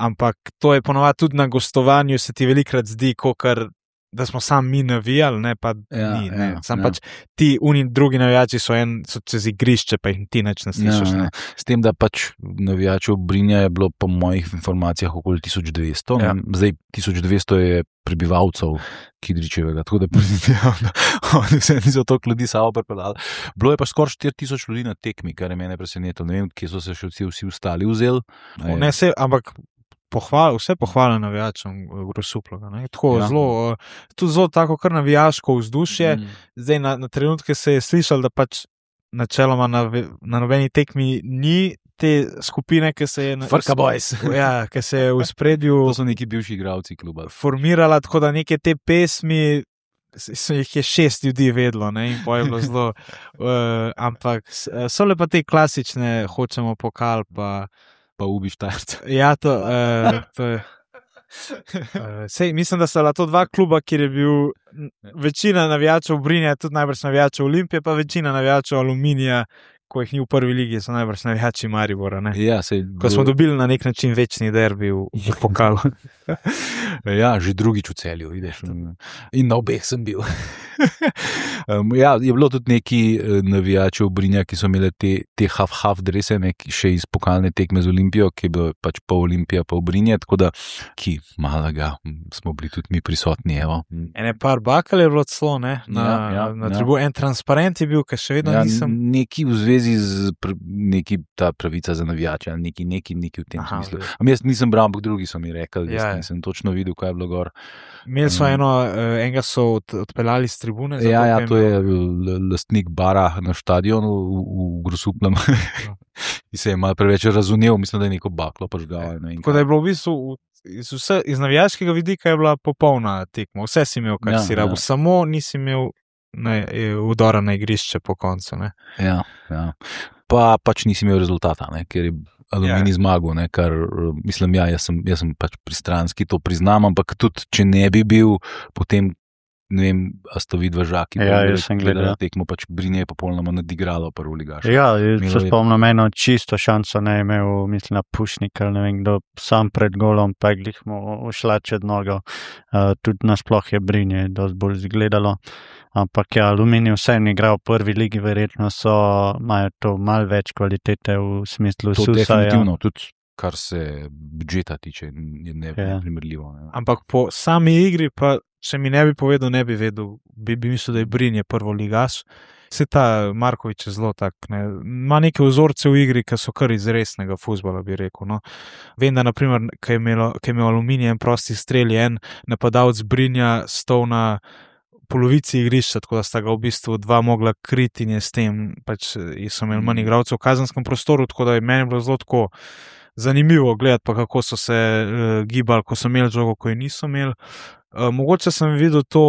ampak to je ponovadi tudi na gostovanju, se ti velikrat zdi, kakor da smo sam mi navijali, ne pa ja, ni. Ne. Ja, sam ja. Pač ti uni drugi navijači so, en, so čez igrišče, pa jih ti neč ne slišiš. Ja, ne. Ja. S tem, da pač navijačev Brinja je bilo po mojih informacijah okoli tisoč dvesto. Ja. Zdaj tisoč dvesto je prebivalcev Kidričevega, tako da predvidevam, da oni vse niso toliko ljudi samo pripeljali. Bilo je pa skoraj štiri tisoč ljudi na tekmi, kar je mene presenetilo. Ne vem, kje so se še vsi, vsi ostali vzeli. Ne, se, ampak Pohval, vse pohvale navijačem Grosuploga. Tako ja. zelo, tudi zelo tako kar navijaško vzdušje. Mm. Zdaj na, na trenutke se je slišalo, da pač načeloma na, na nobeni tekmi ni te skupine, ki se je Frka Boys. Ja, ki se je v spredju to so neki bivši igralci kluba. Formirala, tako da neke te pesmi so jih je šest ljudi vedlo, ne, in pa je bilo zelo uh, ampak so le pa te klasične hočemo pokal, pa pa ubi Štajerca. Ja, to, uh, to je. Uh, sej, mislim, da so to dva kluba, kjer je bil večina navijačev Brinja, tudi najbrž navijačev Olimpije, pa večina navijačev Aluminija, ko jih ni v prvi ligi, so najbrž navijači Maribora. Ne? Ja, sej, ko smo dobili na nek način večni derbi v, v pokalu. Ja, že drugič v Celju, vidiš. In na obeh sem bil. um, ja, je bilo tudi neki navijačev Brinja, ki so imeli te, te half-half drese, ne, še iz pokalne tekme z Olimpijo, ki je bilo pač pol Olimpija, pol Brinja, tako da, ki malega, smo bili tudi mi prisotni, evo. Ene par bakal je bilo celo, ne, na, ja, ja, na tribu. Ja. En transparent je bil, ki še vedno ja, nisem. Neki v zvezi z pr neki ta pravica za navijače, neki, neki, neki v tem Aha, smislu. Am jaz nisem bral, ampak drugi so mi rekli, jaz ja, nisem točno videl, kaj je bilo gor. Imeli so um, eno, enega so od, odpeljali z tribune. Ja, ja, to je lastnik bara na stadionu v, v Grosuplem. Ja. In se je malo preveč razumel, mislim, da je neko baklo požgal. Ne, tako da je bilo v bistvu iz, vse, iz navijaškega vidika je bila popolna tekma. Vse si imel, kar ja, si rabil, ja. Samo nisi imel ne, udora na igrišče po koncu. Ne. Ja, ja. Pa pač nisi imel rezultata, ne, ker je Aluminij ja. zmagal, ne, kar mislim, ja, jaz sem, jaz sem pač pristranski, to priznam, ampak tudi, če ne bi bil, potem ne vem, a sto vidva žaki, ja, jaz sem gledal tekmo, pač Brinje je popolnoma nadigralo prvo ligaš. Ja, se spomnim, eno čisto šanso ne je imel, mislim, na Pušnik, ali ne vem, kdo sam pred golom, pa je glih mu ušla čez nogo, uh, tudi nasploh je Brinje dosti bolj zgledalo. Ampak ja, Aluminij vse je igral v prvi ligi, verjetno so, imajo to malo več kvalitete v smislu to Susa. To definitivno, ja. Tudi kar se budžeta tiče, je neprimerljivo. Ne, ne. Ampak po sami igri, pa če mi ne bi povedal, ne bi vedel, bi, bi mislil, da je Brinje prvo ligaš. Se ta Markovič je zelo tak, ne, ima neke vzorce v igri, ki so kar iz resnega fuzbala, bi rekel. No. Vem, da naprimer, ko je imel Aluminij en prosti strel, je en napadalec Brinja stol na polovici igrišča, tako da sta ga v bistvu dva mogla kriti in je s tem, pač so imeli manj igralcev v kazenskem prostoru, tako da je meni bilo zelo tako zanimivo gledati, pa kako so se uh, gibali, ko so imeli žogo, ko je niso imeli. Uh, mogoče sem videl to,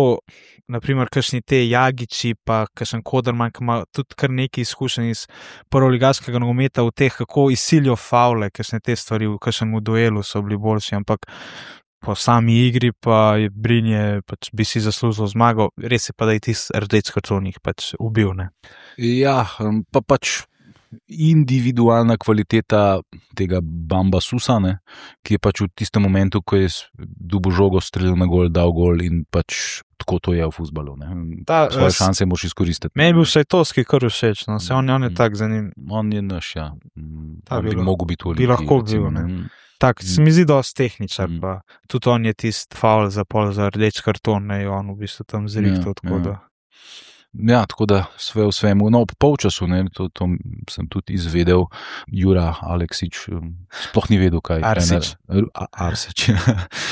naprimer, kakšni te Jagiči, pa kakšen Koderman, ki ima tudi kar nekaj izkušenj iz prvoligaškega nogometa v teh, kako izsilijo favle, kakšne te stvari v kakšnem duelu so bili boljši, ampak po sami igri pa je Brinje, pač bi si zaslužil zmago, res je pa, da je tisti rdeč karton jih pač ubil, ne. Ja, pa pač individualna kvaliteta tega Bamba Susa, ne, ki je pač v tistem momentu, ko je dobil žogo, strelil na gol, dal gol in pač tako to je v fuzbalu. Ne. Ta, svoje šanse moš izkoristiti. Meni je bil Šajtovski kar všeč, no, se on, on je tak za njim. On je naš, ja. Ta, bi, bi mogel biti v Olimpiji. Bi lahko bil, ne. ne. Tak, se mi zdi dosti tehničar, mm. pa tudi on je tist faul za pol za rdeč karton, ne, on v bistvu tam zrihtal, ja, tako ja. da. Ja, tako da sve v svemu. No, ob polčasu, ne, to, to sem tudi izvedel, Jura Aleksič sploh ni vedel, kaj je. Arsič. Arsič.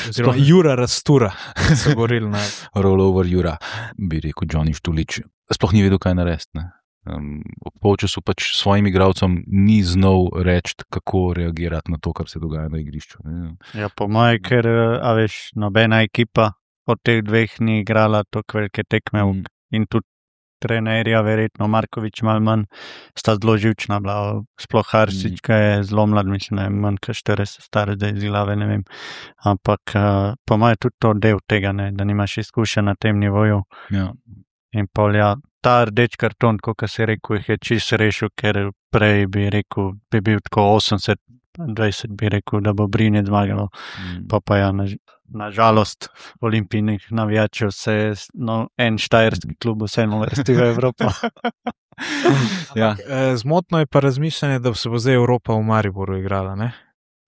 Oziroma Jura Rastura, so govorili na rollover Jura, bi rekel Johnny Štulič. Sploh ni vedel, kaj narediti. Ne. Um, ob polčasu pač svojim igralcem ni znal reči, kako reagirati na to, kar se dogaja na igrišču. Ne. Ja, po moje, ker, a veš, nobena ekipa od teh dveh ni igrala toliko velike tekme Mm. in tudi trenerja, verjetno Markovič malo manj, sta zelo živčna bila, sploh Harsič, ki je zelo mlad, mislim, da je manj kot štirideset star, zdaj iz glave, ne vem. Ampak uh, po moje tudi to del tega, ne, da nimaš izkušenj na tem nivoju. Ja. In pol, ja, ta rdeč karton, kot si rekel, jih je čisto rešil, ker prej bi rekel, bi bil tako osemdeset dvajset, bi rekel, da bo Brinje zmagalo. Mm. Pa pa ja, na, na žalost olimpijnih navijačev se je no, en štajerski klub vseeno vrstil v Evropo. Ja. Eh, Zmotno je pa razmišljanje, da se bo zdaj Evropa v Mariboru igrala, ne?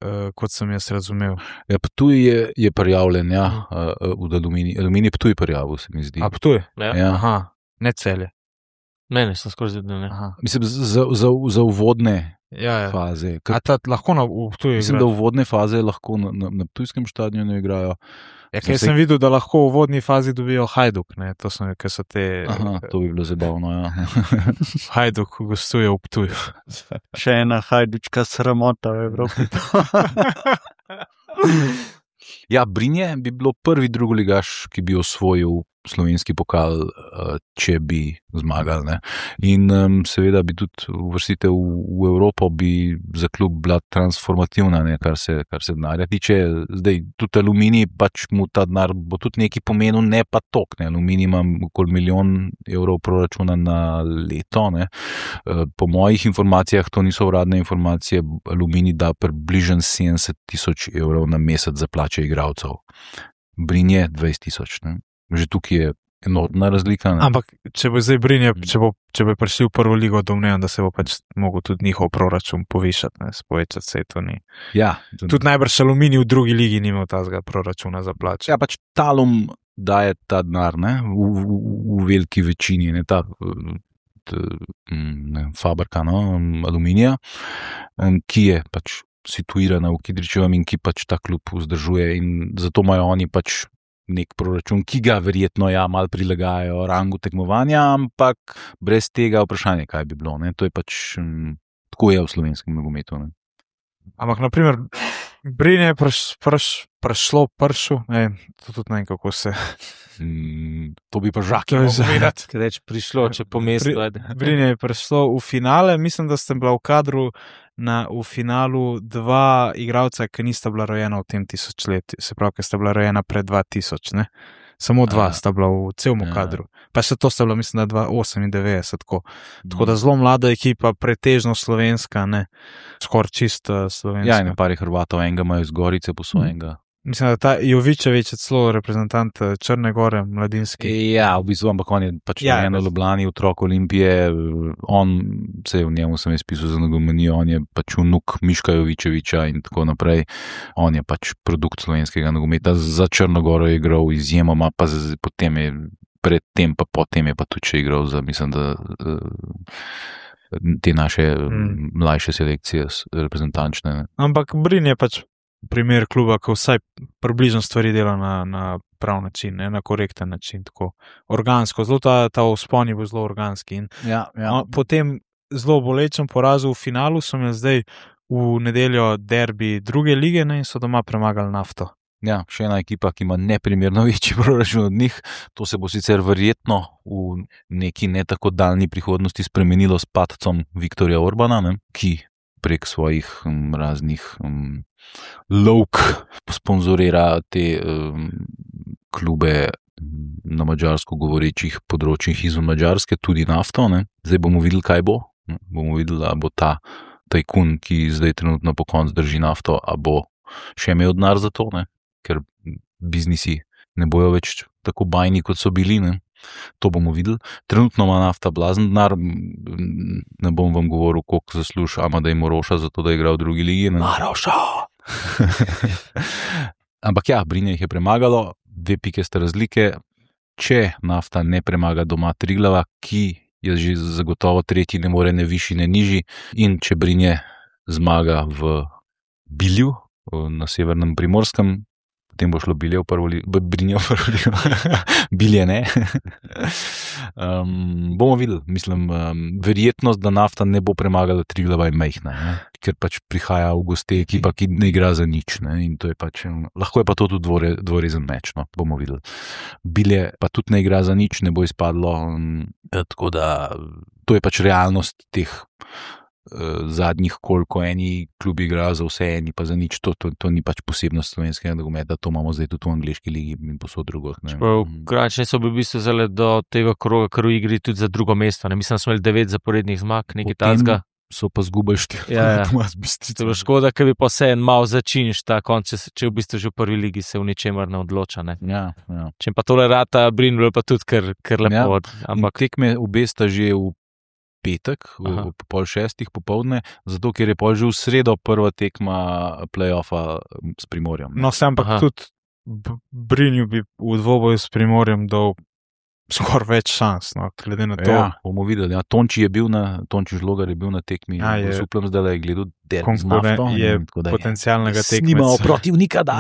Eh, kot sem jaz razumel. Ja, Ptuj je, je prijavljen, ja, uh, v Aluminij. Aluminij Ptuj prijavil, se mi zdi. A Ptuj? Ja. Ja. Aha, ne Celje. Ne, ne, sem skoraj zvedel, ne. Aha. Mislim, za, za, za uvodne Ja, ja. faze. A ta lahko na v Ptuju Mislim, da igraš? uvodne faze lahko na, na, na Ptujskem stadionu igrajo. Ja, sem ker se- sem videl, da lahko v vodni fazi dobijo Hajduk, ne, to so, ker so te, Aha, to bi bilo zabavno, ja. Hajduk gostuje v Ptuju. Še ena hajdučka sramota v Evropi. Ja, Brinje bi bilo prvi drugoligaš, ki bi osvojil slovenski pokal, eh, če bi zmagali. Ne. In um, seveda bi tudi uvrstitev v, v Evropo bi za klub bila transformativna, ne, kar se, kar se denarja tiče. Zdaj, tudi Aluminij, pač mu ta denar bo tudi nekaj pomenil, ne pa tok. Ne. Aluminij ima okoli milijon evrov proračuna na leto. Ne. Eh, Po mojih informacijah, to niso uradne informacije, Aluminij da približno sedemdeset tisoč evrov na mesec za plače igralcev. Brinje dvajset tisoč. ne. Že tukaj je enormna razlika. Ne. Ampak, če bo zdaj Brinje, če bo, če bo prišli v prvo ligo, domnevam, da se bo pač mogel tudi njihov proračun povišati, ne, spovečati se to ni. Ja, Tudi najbrž Aluminij v drugi ligi ni imel tazga proračuna za plače. ja, pač Talum daje ta denar, ne, v, v, v veliki večini, ne, ta t, ne, fabrika, no, Aluminija, em, ki je pač situirana v Kidričevem in ki pač ta klub vzdržuje, in zato imajo oni pač nek proračun, ki ga verjetno ja malo prilagajajo rangu tekmovanja, ampak brez tega vprašanje, kaj bi bilo. Ne? To je pač m, tako je v slovenskem nogometu. Ne? Ampak, naprimer, Brinje je preš, preš, prešlo pršu, ne, to tudi ne vem, kako se. Mm, to bi pa žaki To je moral za- povedati. Kaj reč, prišlo, če po mestu, Pri- ajde. Brinje je prešlo v finale, mislim, da ste bila v kadru na, v finalu dva igralca, ki nista bila rojena v tem tisočletju, se pravi, ki sta bila rojena pred dva tisoč, ne. Samo dva Aha. sta bila v celem Ja. kadru. Pa še to sta bila, mislim, da dva osemindevetdeset, tako. Tako da zelo mlada ekipa, pretežno slovenska, ne, skoraj čisto slovenska. Ja, in pari Hrvatov, enega imajo iz Gorice po svojenga. Mislim, da ta Jovičevič je celo reprezentant eh, Črne gore, mladinski. Ja, v bistvu, ampak on je pač Ja, ja, eno pač- Ljubljani, otrok Olimpije, on se je v njemu sem jaz pisal za nogomanijo, on je pač vnuk Miška Jovičeviča in tako naprej. On je pač produkt slovenskega nogometa. Za Črnogoro je igral izjemoma, pa z, potem je predtem, pa potem je pa tudi še igral za, mislim, da eh, te naše Mm. mm. mlajše selekcije s- reprezentančne. Ne. Ampak Brin je pač primer kluba, ki vsaj približno stvari dela na, na prav način, ne, na korekten način, tako organsko. Zelo ta, ta vzpon je bil zelo organski. In Ja, ja. Po tem zelo bolečem porazu v finalu so imeli zdaj v nedeljo derbi druge lige, ne, in so doma premagali Nafto. Ja, še ena ekipa, ki ima neprimerno večji proračun od njih. To se bo sicer verjetno v neki ne tako daljni prihodnosti spremenilo s padcem Viktorja Orbana, ne, ki prek svojih um, raznih um, lovk sponzorira te um, klube na mađarsko govorečih področjih izven Madžarske, tudi Nafto. Ne. Zdaj bomo videli, kaj bo. Ne. Bomo videli, a bo ta tajkun, ki zdaj trenutno po koncu drži Nafto, a bo še imel denar za to, ne. Ker biznisi ne bojo več tako bajni, kot so bili. Ne. To bomo videli. Trenutno ima Nafta blazen denar, ne bom vam govoril, koliko zasluži Amadej Moroša za to, da igra v drugi ligi. Ne. Maroša! Ampak ja, Brinje jih je premagalo, dve pike sta razlike. če Nafta ne premaga doma Triglava, ki je že zagotovo tretji, ne more ne višji, ne nižji, in če Brinje zmaga v Bilju na severnem Primorskem, potem bo šlo Bilje v prvo ligo, Brinje v prvo ligo, Bilje ne. um, bomo videli, mislim, um, verjetnost, da Nafta ne bo premagala Triglava je majhna, ne? Ker pač prihaja v goste ekipa, ki ne igra za nič, ne? In to je pač, lahko je pa to tudi dvore, dvorezen meč, no? Bomo videli. Bilje pa tudi ne igra za nič, ne bo izpadlo, um, tako da to je pač realnost teh zadnjih, koliko eni klubi igrajo za vse, eni pa za nič. To, to, to ni pač posebnost slovenskega nogometa, to imamo zdaj tudi v angleški ligi in posod drugod. Kranjčani so v bistvu zale do tega kroga, kar v igri tudi za drugo mesto. Ne? Mislim, da smo imeli devet zaporednih zmag, nekaj tazga. So pa zgubili štiri. Ja, ja. To je škoda, ker bi pa vse en mal začinš ta konc, če, če v bistvu že v prvi ligi se v ničemer ne odloča. Ne? Ja, ja. Če pa tole rata Brinje, pa tudi kar, kar lepo. Ja. Ampak tekme obe sta že v petek, v pol šestih popovdne, zato ker je pol že v sredo prva tekma play-offa s Primorjem. No, sem ampak tudi Brinju bi v dvoboju s Primorjem dal skoraj več šans, no, glede na to. Ja, bomo videli. Ja. Tonči je bil na, Tonči Žlogar je bil na tekmi, ja, je, suplam zdaj, je gledal derbi z Nafto. Je potencialnega tekmeca. Snimamo protivnika, da.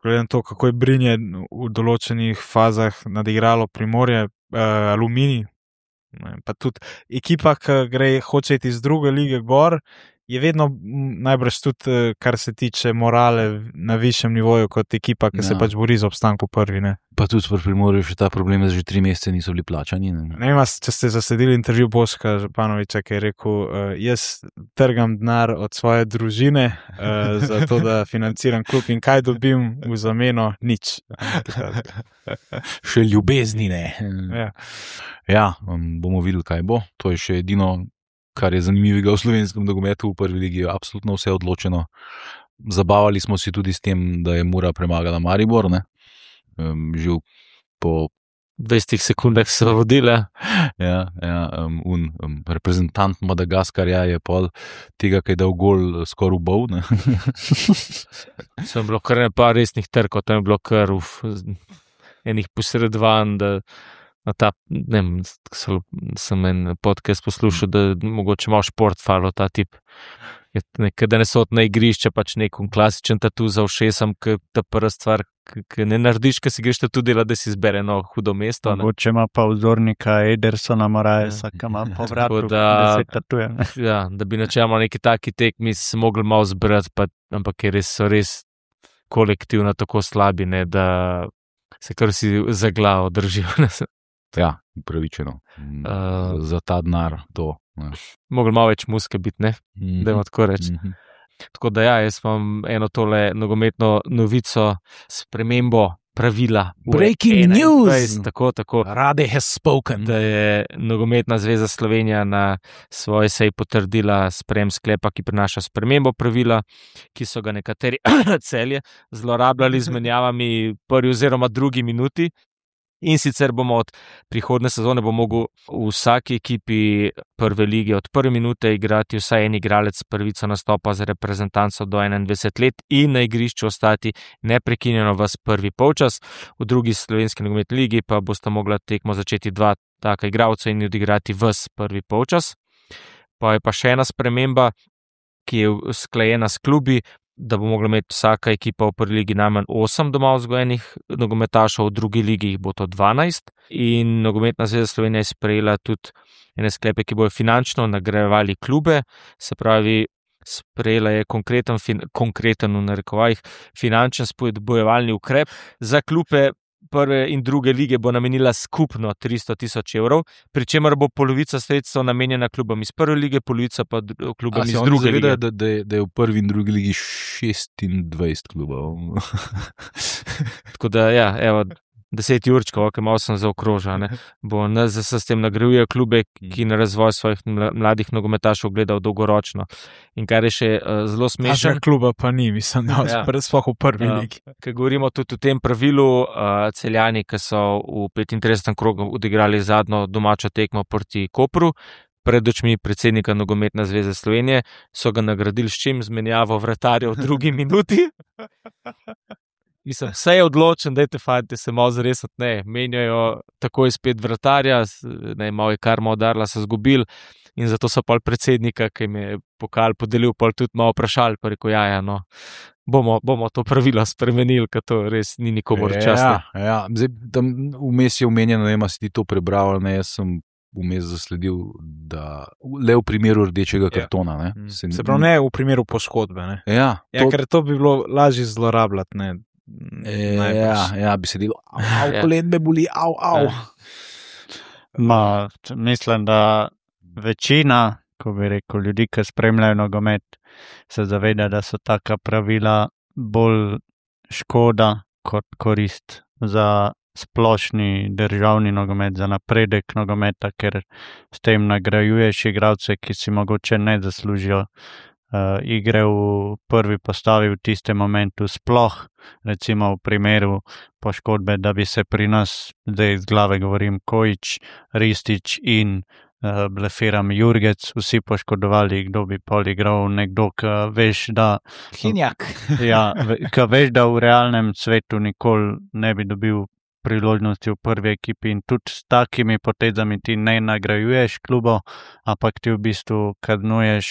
Glede na to, kako je Brinje v določenih fazah nadigralo Primorje, uh, Aluminij, pa tudi ekipa, ki gre, hoče iti iz druge lige gor, je vedno najbrž tudi, kar se tiče morale, na višjem nivoju kot ekipa, ki ja. se pač bori za obstanku prvi. Ne? Pa tudi v Primorju še ta problem, da že tri mesece niso bili plačani. Ne, ne vem, če ste zasledili intervju Boška Županoviča, ki je rekel, uh, jaz trgam denar od svoje družine, uh, za to, da financiram klub in kaj dobim v zameno? Nič. Še ljubezni ne. Ja, ja um, bomo videli, kaj bo. To je še edino, kar je zanimivega v slovenskem nogometu, v prvi ligi je absolutno vse odločeno. Zabavali smo si tudi s tem, da je Mura premagala Maribor, ne? Um, že po dvajsetih sekundah so vodile. Ja, ja, um, un, um, reprezentant Madagaskarja je pol tega, kaj je dal gol, skoraj ubol. Sem bilo kar nekaj resnih trkov, to je bilo kar uf, enih posredovanj, da na ta, ne vem, sem en podcast poslušal, da mogoče malo šport falo ta tip. Da ne so na igrišče, pač nekom klasičen tatu za ušesom, ki ta prva stvar, ki ne narediš, ki si greš tatu dela, da si izbere eno hudo mesto. Mogoče ima pa vzornika Edersona Morajesa, ki ima po vratu, da se tatuje. Ja, da bi načeloma neki taki tekmi se mogli malo zbrati, pa, ampak je res, so res kolektivno tako slabi, ne, da se kar si za glavo držijo. Ja, upravičeno. Uh, za ta denar to. Mogli malo več muske biti, ne? Mm-hmm. Da imamo tako reči. Mm-hmm. Tako da ja, jaz imam eno tole nogometno novico, spremembo pravila. Breaking news! Tako, tako. Rade has spoken. Da je Nogometna zveza Slovenija na svoji seji potrdila sprejem sklepa, ki prinaša spremembo pravila, ki so ga nekateri Celje zlorabljali z menjavami prvi oziroma drugi minuti. In sicer bomo od prihodne sezone bo mogel v vsaki ekipi prve lige od prve minute igrati vsaj en igralec prvico nastopa za reprezentanco do enaindvajset let in na igrišču ostati neprekinjeno ves prvi polčas. V drugi slovenski nogometni ligi pa bosta mogla tekmo začeti dva taka igralca in odigrati ves prvi polčas. Pa je pa še ena sprememba, ki je usklajena s klubi, da bo mogla imeti vsaka ekipa v prvi ligi najmanj osem doma vzgojenih nogometašov, v drugi ligi jih bo to dvanajst. In Nogometna zveza Slovenija je sprejela tudi ene sklepe, ki bojo finančno nagrajevali klube, se pravi, sprejela je konkreten, konkreten v narekovajih finančen spodbujevalni ukrep za klube. Prve in druge lige bo namenila skupno tristo tisoč evrov, pri čemer bo polovica sredstev namenjena klubom iz prve lige, polovica pa klubom iz druge lige. Da, da, da je v prvi in drugi ligi šestindvajset klubov. Tako da, ja, evo, deset určkov, ki malo sem zaokrožal, bo N Z S s tem nagrajuje klube, ki na razvoj svojih mladih nogometašov gledajo dolgoročno. In kar je še uh, zelo smešno. Takega kluba pa ni, mislim, da ja. Sploh v prvi uh, ligi. Ker govorimo tudi o tem pravilu, uh, Celjani, ki so v petintridesetem krogu odigrali zadnjo domačo tekmo proti Kopru, pred očmi predsednika Nogometne zveze Slovenije, so ga nagradili s čim? Z menjavo vratarja v drugi minuti. Mislim, vse je odločen, dajte fajte se malo zaresati, ne, menjajo takoj spet vratarja, ne, malo je karma udarila, so zgubili in zato so pol predsednika, ki jim je pokal podelil, pol tudi malo vprašali, pa rekel, ja, ja, no, bomo, bomo to pravilo spremenili, ker to res ni nikomor častno. Ja, ja. Zdaj, tam vmes je omenjeno, ne vem, si ti to prebral, ne, jaz sem vmes zasledil, da le v primeru rdečega kartona. Ne, Mm. se, Se pravi, ne v primeru poškodbe. Ne? Ja, Ja, to, ker to bi bilo lažje zlorabljati. Ne? ja, Najbrž. ja, bi se delo, au, au, Ja. kolen me boli, au, au. Ja. Ma, t- mislim, da večina, ko bi rekel, ljudi, ki spremljajo nogomet, se zaveda, da so taka pravila bolj škoda kot korist za splošni državni nogomet, za napredek nogometa, ker s tem nagrajuješ igralce, ki si mogoče ne zaslužijo uh, igre v prvi postavi v tistem momentu, sploh recimo v primeru poškodbe, da bi se pri nas, zdaj iz glave govorim, Kojić, Ristić in uh, blefiram Jurgec, vsi poškodovali, kdo bi pol igral, nekdo, ki veš, da Hinjak. ja, ve- ki veš, da v realnem svetu nikoli ne bi dobil priložnosti v prvi ekipi in tudi s takimi potezami ti ne nagrajuješ klubov, ampak ti v bistvu kaznuješ,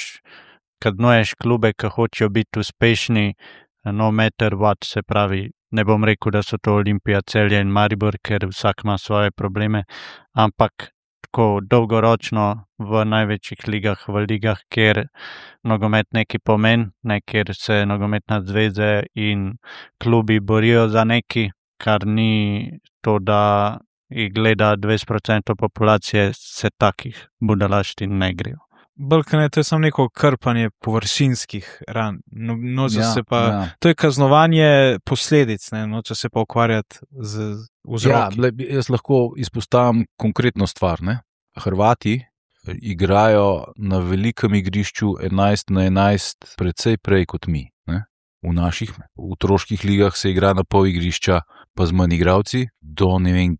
kaznuješ klube, ki hočejo biti uspešni, no matter what, se pravi, ne bom rekel, da so to Olimpija, Celje in Maribor, ker vsak ima svoje probleme, ampak tako dolgoročno v največjih ligah, v ligah, kjer nogomet neki pomen, ne, kjer se nogometna zveze in klubi borijo za neki, kar ni to, da jih gleda dvajset procentov populacije, se takih budalaštin ne grejo. Balkan je to je samo neko krpanje površinskih ran. No, noče Ja, se pa, ja. to je kaznovanje posledic, ne? Noče se pa ukvarjati z Ja, vzroki. ble, jaz lahko izpostavim konkretno stvar. Ne? Hrvati igrajo na velikem igrišču enajst na enajst, precej prej kot mi. Ne? V naših v otroških ligah se igra na pol igrišča, pa z manj igralci, do ne vem,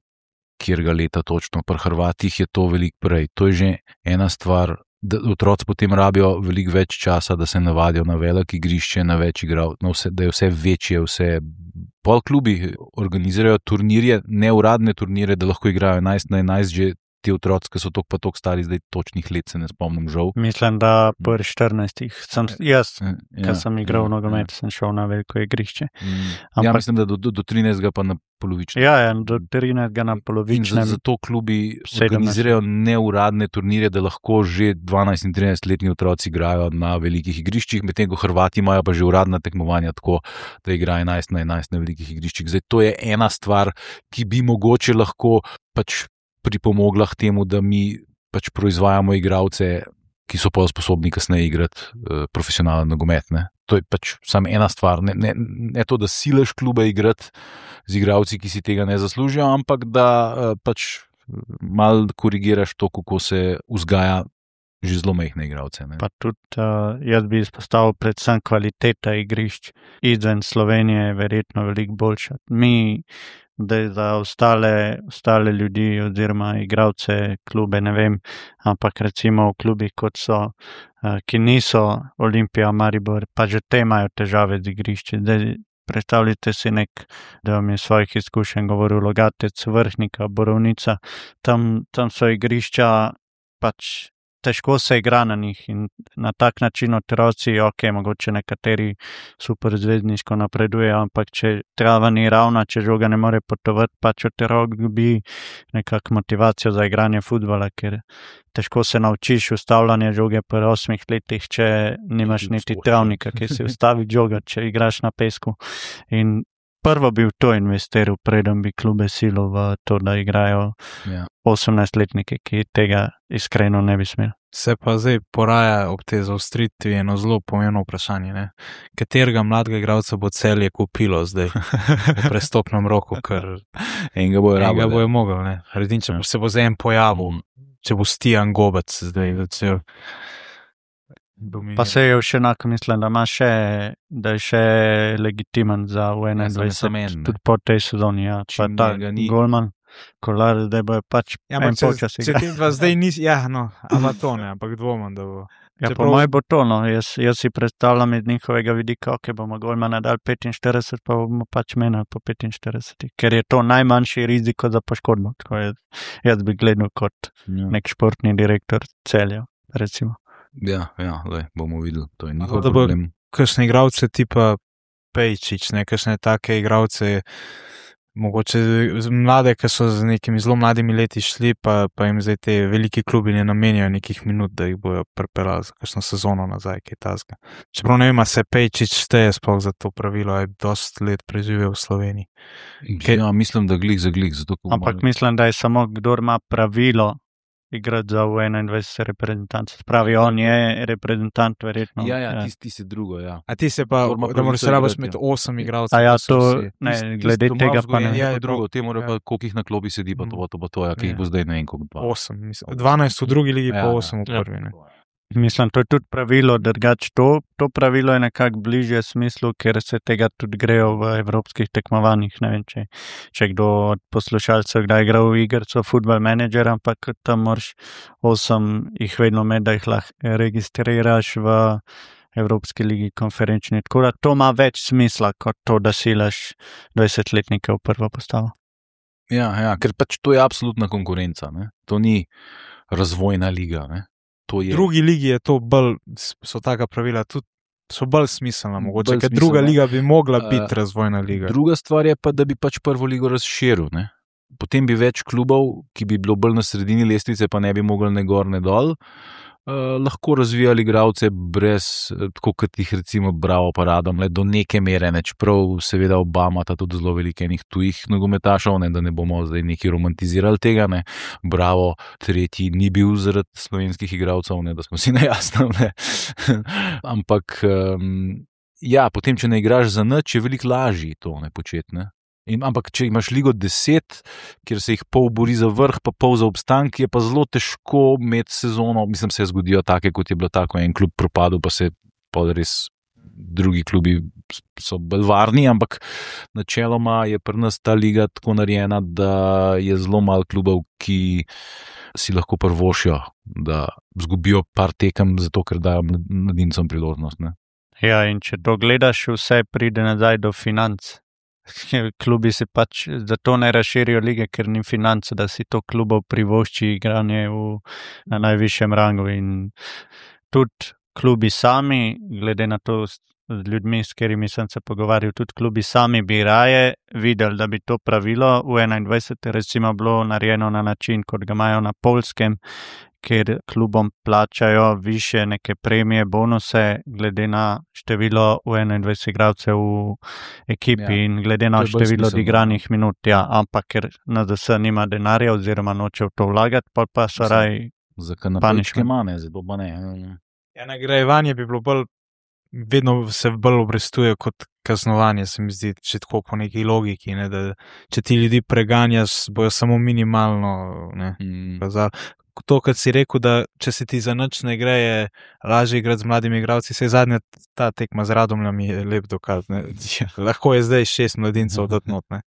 kjerga leta točno. Pri Hrvatih je to veliko prej. To je že ena stvar, da otroci potem rabijo veliko več časa, da se navadijo na veliko igrišče, na več igralcev, da je vse večje, vse. Pol klubi organizirajo turnirje, neuradne turnire, da lahko igrajo enajst na enajst, že ti otroci, ki so tok pa tok stari, zdaj točnih let se ne spomnim, žal. Mislim, da pri štirinajstih sem jaz, Ja, ki sem igral ja, nogomet, sem šel na veliko igrišče. Ja, ja Ampak- mislim, da do, do, do trinajstega pa na polovičnem. Ja, ja, do trinajstega na In za- polovičnem. zato klubi sedemnajst. organizirajo neuradne turnirje, da lahko že dvanajst in trinajst letni otroci igrajo na velikih igriščih, medtem ko Hrvati imajo pa že uradna tekmovanja tako, da igrajo enajst na enajst na velikih igriščih. Zdaj, to je ena stvar, ki bi mogoče lahko pač pripomogla k temu, da mi pač proizvajamo igralce, ki so pa sposobni kasneje igrati uh, profesionalen nogomet. Ne? To je pač samo ena stvar. Ne, ne, ne to, da sileš klube igrati z igralci, ki si tega ne zaslužijo, ampak da uh, pač mal korigiraš to, kako se vzgaja že zelo majhne igralce. Ne? Pa tudi uh, jaz bi izpostavil predvsem kvaliteta igrišč izven Slovenije je verjetno veliko boljša. Mi, da je za ostale, ostale ljudi oziroma igralce klube, ne vem, ampak recimo v klubih, kot so, uh, ki niso Olimpija, Maribor, pa že te imajo težave z igrišči. Zdaj, predstavljajte si nek, da vam je svojih izkušenj govoril Logatec, Vrhnika, Borovnica, tam, tam so igrišča pač težko se igra na njih in na tak način otroci, ok, mogoče nekateri super zvezdniško napredujejo, ampak če trava ni ravna, če žoga ne more potovati, pač otrok dobi nekako motivacijo za igranje futbola, ker težko se naučiš ustavljanje žoge pri osmih letih, če nimaš niti travnika, ki si ustavi žoga, če igraš na pesku. In prvo bi v to investiral, preden bi klube silo v to, da igrajo Ja. osemnajstletniki, ki tega iskreno ne bi smeli. Se pa zdaj poraja ob tej zaostritvi eno zelo pomembno vprašanje. Ne? Katerega mladega igralca bo Celje kupilo zdaj v prestopnem roku, ker Enega bojo enega rabili. bojo mogel. Ne? Redin, če se bo zdaj en pojavil, če bo Stijan Gobec zdaj, da se Pa se je še enako mislim, da ima še, da je še legitimen za v Ja, samo enaindvajset, en, ne. tudi po tej sezoni, ja. Pa Čim ta njega ni. Golman, Kolar, zdaj bo pač Ja, en ampak če, polčas če igra. ti dva zdaj nisi, ja, no, ama to ne, ampak dvomam, da bo. Ja, Čeprav- po mojem bo to, no. Jaz, jaz si predstavljam iz njihovega vidika, ok, bomo Golmana dali petinštirideset, pa bomo pač menili po petinštirideset, ker je to najmanjši riziko za poškodbo. Tako jaz, jaz bi gledal kot Ja, nek športni direktor Celja, recimo. ja, ja lej, bomo videli, to je Ampak njihov da bo- problem. Kakšne igralce tipa Pejčič, ne, kakšne take igralce, mogoče z- mlade, ki so z nekimi zelo mladimi leti šli, pa, pa jim zdaj te veliki klubi ne namenjajo nekih minut, da jih bojo pripeljali za kakšno sezono nazaj, kaj tasga. Čeprav ne vem, a se Pejčič šteje sploh za to pravilo, a je dosti let preživel v Sloveniji. Kaj- Ja, mislim, da glih za glih. Zato, ko Ampak malo- mislim, da je samo kdor ima pravilo igrati za U enaindvajset reprezentanc. Pravi, on je reprezentant, verjetno. Ja, ja, ti, ti si drugo, ja. A ti se pa, Kdor ima da moraš pravico rabaš igrati, imeti ja. osem igralcev. A ja, da so to, vsi- ne, Tisti- glede tisti doma tega pa ne. vzgojeni, Ja, je drugo, to- te morajo ja. pa, koliko jih na klopi sedi, pa to, pa to, pa to, ja, ki Ja. jih bo zdaj ne vem, koliko dva. osem, mislim. dvanajst v drugi ligi, Ja, pa ja. osem v Ja. prvi. Ne. Mislim, to je tudi pravilo, drugače to, to pravilo je nekako bližje smislu, ker se tega tudi grejo v evropskih tekmovanjih. Ne vem, če, če kdo od poslušalcev kdaj igral v igrico Football Manager, ampak tam moraš osem jih vedno med, da jih lahko registriraš v Evropski ligi konferenčni. Tako da to ima več smisla, kot to, da silaš dvajsetletnike v prvo postavo. Ja, ja, ker pač to je absolutna konkurenca. Ne? To ni razvojna liga. Ne? To je V drugi ligi je to bolj, so taka pravila tudi, so bolj smiselna mogoče, Bolj ker druga smiselna. liga bi mogla Eh, biti razvojna liga. Druga stvar je pa, da bi pač prvo ligo razširil. Ne? Potem bi več klubov, ki bi bilo bolj na sredini lestvice, pa ne bi mogli ne gor, ne dol, uh, lahko razvijali igralce brez, eh, tako kot jih recimo Bravo paradom, le do neke mere, ne? Čeprav seveda Obama ta tudi zelo veliko enih tujih nogometašov, ne? Da ne bomo zdaj neki romantizirali tega. Ne? Bravo tretji ni bil zaradi slovenskih igralcev, ne? Da smo si najjasni. Ampak um, ja, potem, če ne igraš za nič, je veliko lažje to ne početi. Ne? In, ampak, če imaš ligo deset, kjer se jih pol bori za vrh, pa pol za obstanek, je pa zelo težko imeti sezono. Mislim, se zgodijo take, kot je bilo tako, en klub propadel, pa se pol res drugi klubi so bolj varni, ampak načeloma je pri nas ta liga tako narejena, da je zelo malo klubov, ki si lahko prvošijo, da zgubijo par tekem, zato ker dajo mladincem priložnost. Ne? Ja, in če to gledaš, vse pride nazaj do financ. Klubi se pač zato ne razširijo lige, ker ni financ, da si to klubov privošči igranje v, na najvišjem rangu. In tudi klubi sami, glede na to s z ljudmi, s katerimi sem se pogovarjal, tudi klubi sami bi raje videli, da bi to pravilo v enaindvajset recimo bilo narejeno na način, kot ga imajo na Poljskem, kjer klubom plačajo više neke premije, bonuse, glede na število v enaindvajset igralcev v ekipi Ja, in glede na to je bolj število smiselno. odigranih minut. Ja, ampak ker N D S nima denarja oziroma noče v to vlagati, pa pa so Mislim, raj. Za kanapečke Punishment. mane, zato pa ne. Ja, nagrajevanje bi bilo bolj, vedno se bolj obrestuje kot kaznovanje, se mi zdi, če tako po neki logiki, ne, da če ti ljudi preganjaš, bojo samo minimalno, ne, Mm. kazali. To, kar si rekel, da če se ti za nič ne gre, je lažje igrati z mladimi igralci, se je zadnja ta tekma z Radomljami je lep dokaz. Ne. Lahko je zdaj šest mladincev dati not, ne.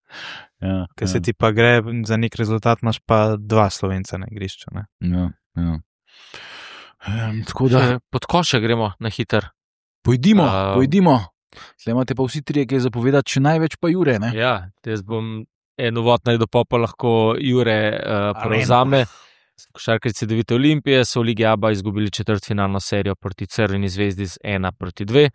Ja, Ker se ja, ti pa gre za nek rezultat, imaš pa dva Slovenca na igrišču. Ne. ja, ja. Um, tako da, Še pod koše gremo na hiter. pojdimo, A- pojdimo. Zdaj imate pa vsi trije, ki je zapovedati, še največ pa Jure. Ne? Ja, jaz bom en uvod naredil, pa pa lahko Jure uh, prevzame. Košarkarji Devite Olimpije so v Ligi A B A izgubili četrtfinalno serijo proti Crveni zvezdi z ena proti dve.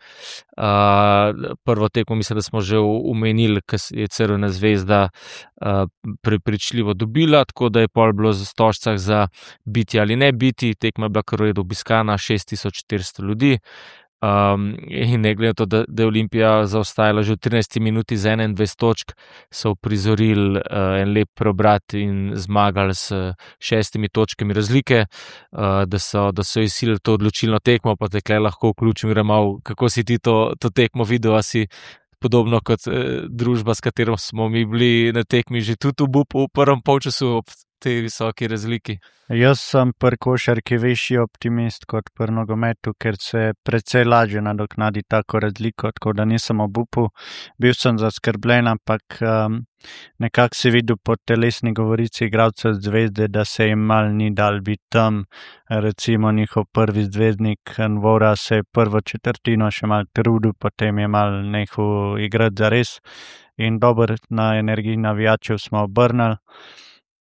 Uh, prvo tekmo mislim, da smo že omenili, ker je Crvena zvezda uh, prepričljivo dobila, tako da je pol bilo za stožcah za biti ali ne biti. Tekma je bila kar v redu obiskana, šest tisoč štiristo ljudi. Um, in ne glede na to, da, da je Olimpija zaostajala že v trinajsti minuti z enaindvajset točk, so prizorili uh, en lep preobrat in zmagali s šestimi točkami razlike, uh, da so, da so izsilili to odločilno tekmo. Pa te tukaj lahko vključim, Ramal, kako si ti to, to tekmo videl, a si podobno kot eh, družba, s katero smo mi bili na tekmi že tudi v bupu v prvem polčasu ob tej visoki razliki. Jaz sem pri košarki večji optimist kot pri nogometu, ker se precej lažje nadoknadi tako razliko, tako da nisem obupal. Bil sem zaskrbljen, ampak um, nekako si videl po telesni govorici igralcev Zvezde, da se jim mal ni dal biti tam. Recimo njihov prvi zvezdnik Nvora se je prvo četrtino še mal trudil, potem je mal nehal igrati zares in dober na energiji navijačev smo obrnili.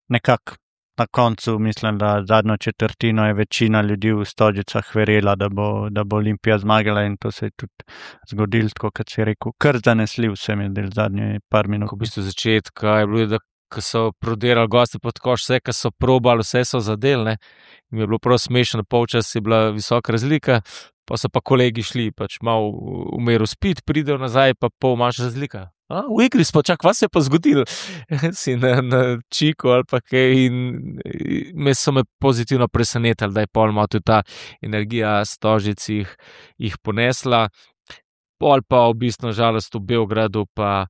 Nekako. Na koncu mislim, da zadnjo četrtino je večina ljudi v Stožicah verjela, da bo, da bo Olimpija zmagala in to se je tudi zgodilo, tako kot si rekel, kar zanesljiv se mi je del zadnje par minut. V bistvu začetka je bilo, da ko so prodirali gosti pod koš, vse, ko so probali, vse so zadeli, in je bilo prav smešno, polčas je bila visoka razlika, pa so pa kolegi šli, pač malo v meru spit, pridejo nazaj, pa pol manjša razlika. A, v igri smo, čak, vas se je pa zgodilo, si na, na čiku ali pa kaj in me so me pozitivno presenetili, da je pol malo tudi ta energija Stožic jih, jih ponesla, pol pa v bistvu žalost v Beogradu pa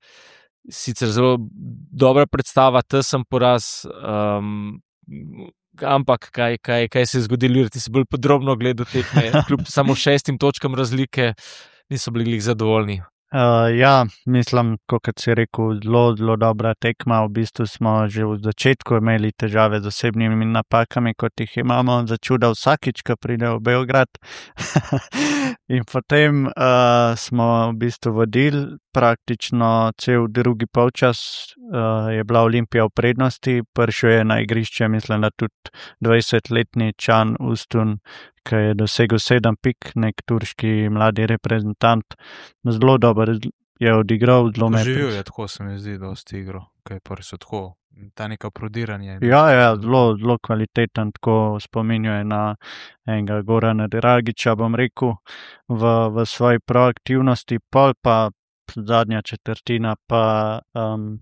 sicer zelo dobra predstava, tesen poraz, um, ampak kaj, kaj, kaj se je zgodilo, ti si bolj podrobno gledal tekme, kljub samo šestim točkam razlike, niso bili zadovoljni. Uh, ja, mislim, kot si rekel, zelo, zelo dobra tekma. V bistvu smo že v začetku imeli težave z osebnimi napakami, kot jih imamo začuda vsakič, ko pride v Beograd. In potem uh, smo v bistvu vodili praktično cel drugi polčas, uh, je bila Olimpija v prednosti, prišel je na igrišče, mislim, da tudi dvajsetletni Can Ustun, ki je dosegel sedem pik, nek turški mladi reprezentant, zelo dober je odigral, zelo me. Živel je, tako se mi zdi, dosti igro, kaj pa so tako, ta neka prodiranje. Ja, ja, zelo, zelo kvaliteten, tako spominjuje na enega Gorana Dragića, bom rekel, v, v svoji proaktivnosti, pol pa zadnja četrtina pa um,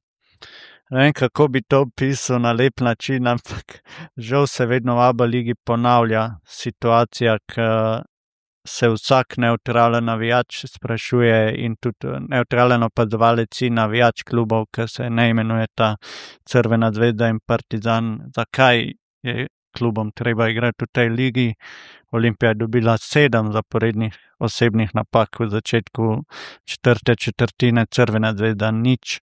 ne vem, kako bi to opisal na lep način, ampak žal se vedno v ABA ligi ponavlja situacija, ki se vsak nevtralen navijač sprašuje in tudi nevtralen opazovalec in navijač klubov, ki se ne imenuje ta Crvena zvezda in Partizan, zakaj je klubom treba igrati v tej ligi. Olimpija je dobila sedem zaporednih osebnih napak v začetku četrte četrtine, Crvena zvezda nič.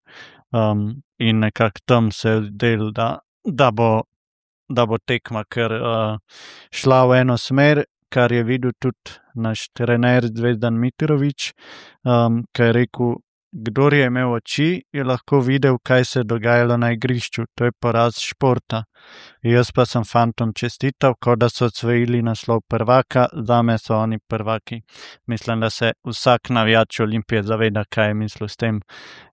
Um, in nekako tam se je zdelo, da, da, bo, da bo tekma kar uh, šla v eno smer, kar je videl tudi naš trener Zvezdan Mitrović, um, ki je rekel, kdor je imel oči, je lahko videl, kaj se je dogajalo na igrišču. To je poraz športa. Jaz pa sem fantom čestital, kot da so osvojili naslov prvaka, zame so oni prvaki. Mislim, da se vsak navijač Olimpije zaveda, kaj je mislil s tem.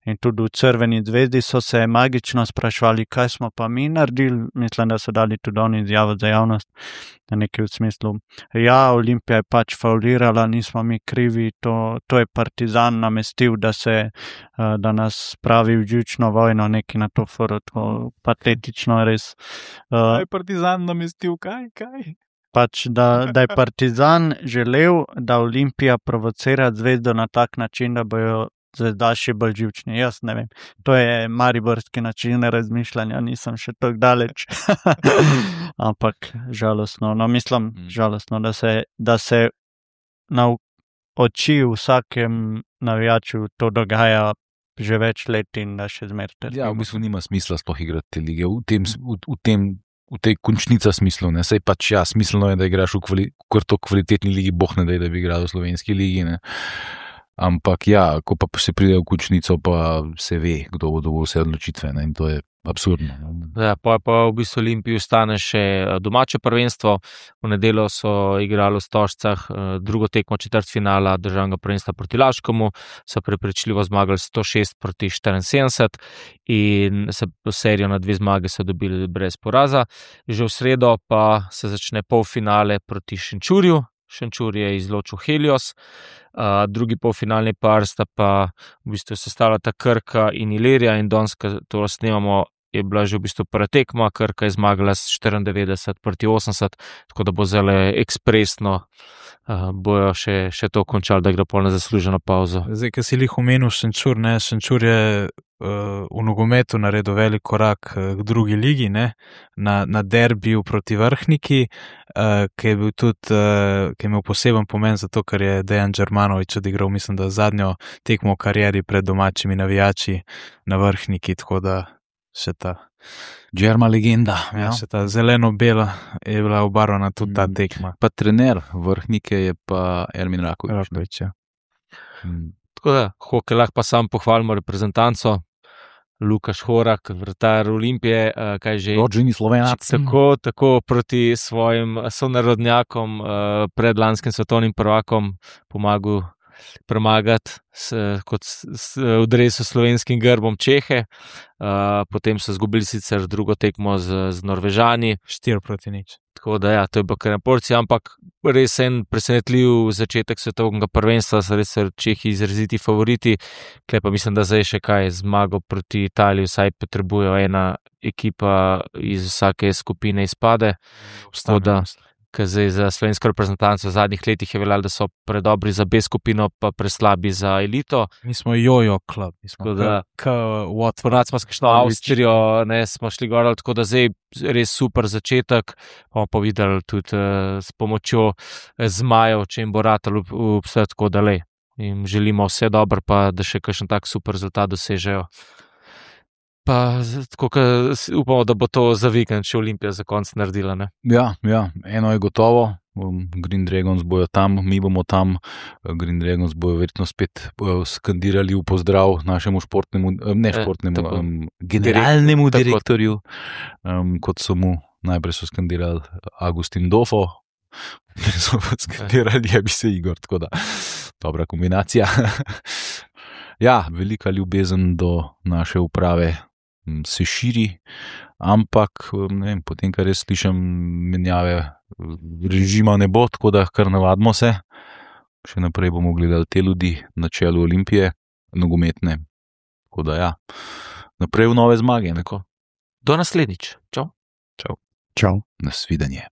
In tudi v Crveni zvezdi so se magično sprašvali, kaj smo pa mi naredili. Mislim, da so dali tudi oni izjavo za javnost, na neki v smislu. Ja, Olimpija je pač faulirala, nismo mi krivi, to, to je Partizan namestil, da se da nas spravi v živčno vojno, neki na to foru, to patetično res. Kaj je Partizan namestil, kaj, kaj? Pač, da, da je Partizan želel, da Olimpija provocira Zvezdo na tak način, da bojo zvezdaši bolj živčni. Jaz ne vem, to je mariborski način razmišljanja, nisem še tako daleč. Ampak žalostno, no mislim, žalostno, da se, da se na oči vsakem navijaču to dogaja že več let in da še zmerite. Ja, v bistvu nima smisla sploh igrati te lige, v tem, v, v tem, v tej končnica smislu, ne, sej pač ja, smiselno je, da igraš v kvali, kar to kvalitetni ligi, boh ne daj, da bi igral v slovenski ligi, ne. Ampak ja, ko pa se pride v končnico, pa se ve, kdo bo dobil vse odločitve, ne, in to je absurdno. Ja, pa, pa v bistvu Olimpiji ostane še domače prvenstvo. V nedeljo so igrali v Stožcah drugo tekmo četrtfinala državnega prvenstva proti Laškomu, so prepričljivo zmagali sto šest proti štiriinsedemdeset in se serijo na dve zmage so dobili brez poraza. Že v sredo pa se začne polfinale proti Šenčurju. Šenčur je izločil Helios, uh, drugi polfinalni par sta pa v bistvu sestavljata Krka in Ilirija in danes, ko to snemamo, je bila že v bistvu prva tekma, Krka je zmagala s štiriindevetdeset proti osemdeset, tako da bo zelo ekspresno uh, bojo še, še to končali, da gre pol na zasluženo pauzo. Zdaj, ki si jih omenil, Šenčur, ne, Šenčur je uh, v nogometu naredil velik korak uh, k drugi ligi, ne, na, na derbiju proti Vrhniki, uh, ki je bil tudi, uh, ki je imel poseben pomen zato, ker je Dejan Đermanović odigral, mislim, da zadnjo tekmo v karieri pred domačimi navijači na Vrhniki, tako da še ta. Džerma legenda. Ja, še ta zeleno-bela je bila obarvana tudi ta tekma. Pa trener Vrhnike je pa Ermin Rakovič. Rakovič, ja. Mm. Tako da, hokej lahko pa sam pohvalimo reprezentanco. Lukaš Horak, vratar Olimpije, uh, kaj že. Rođeni Slovenac. Tako, tako proti svojim sonarodnjakom, uh, pred lanskim svetovnim prvakom pomagal premagati s, kot s, s, v dresu slovenskim grbom Čehe. Uh, potem so izgubili sicer drugo tekmo z, z Norvežani. Štiri proti nič. Tako da ja, to je bilo kar na porci, ampak res en presenetljiv začetek svetovnega prvenstva, so res Čehi izraziti favoriti. Klej pa mislim, da zdaj še kaj zmago proti Italiji, vsaj potrebujejo ena ekipa iz vsake skupine izpade. Tako da, ker zdaj za slovensko reprezentanco v zadnjih letih je veljalo, da so predobri za B skupino, pa preslabi za elito. Mi smo jojo klub, mi smo da, k Watford. Ponad smo skšli Avstrijo, ne, smo šli gor, tako da zdaj res super začetek. Bomo pa videli tudi uh, s pomočjo zmajev, če jim bo ratal vse tako dalej. In želimo vse dobro, pa da še kakšen tak super rezultat dosežejo. Pa tako, upamo, da bo to za vikend še Olimpija za konc naredila. Ne? Ja, ja, eno je gotovo. Green Dragons bojo tam, mi bomo tam. Green Dragons bojo verjetno spet skandirali v pozdrav našemu športnemu, ne športnemu, e, um, generalnemu Direkt, direktorju, um, kot so mu najprej so skandirali Agustin Dofo, so skandirali je bi se Igor, tako da dobra kombinacija. Ja, velika ljubezen do naše uprave se širi, ampak ne vem, potem, kar jaz slišam, menjave režima ne bo, tako da kar navadimo se. Še naprej bomo gledali te ljudi na čelu Olimpije, nogometne. Tako da ja, naprej v nove zmage. Neko. Do naslednjič. Čau. Čau. Čau. Nasvidenje.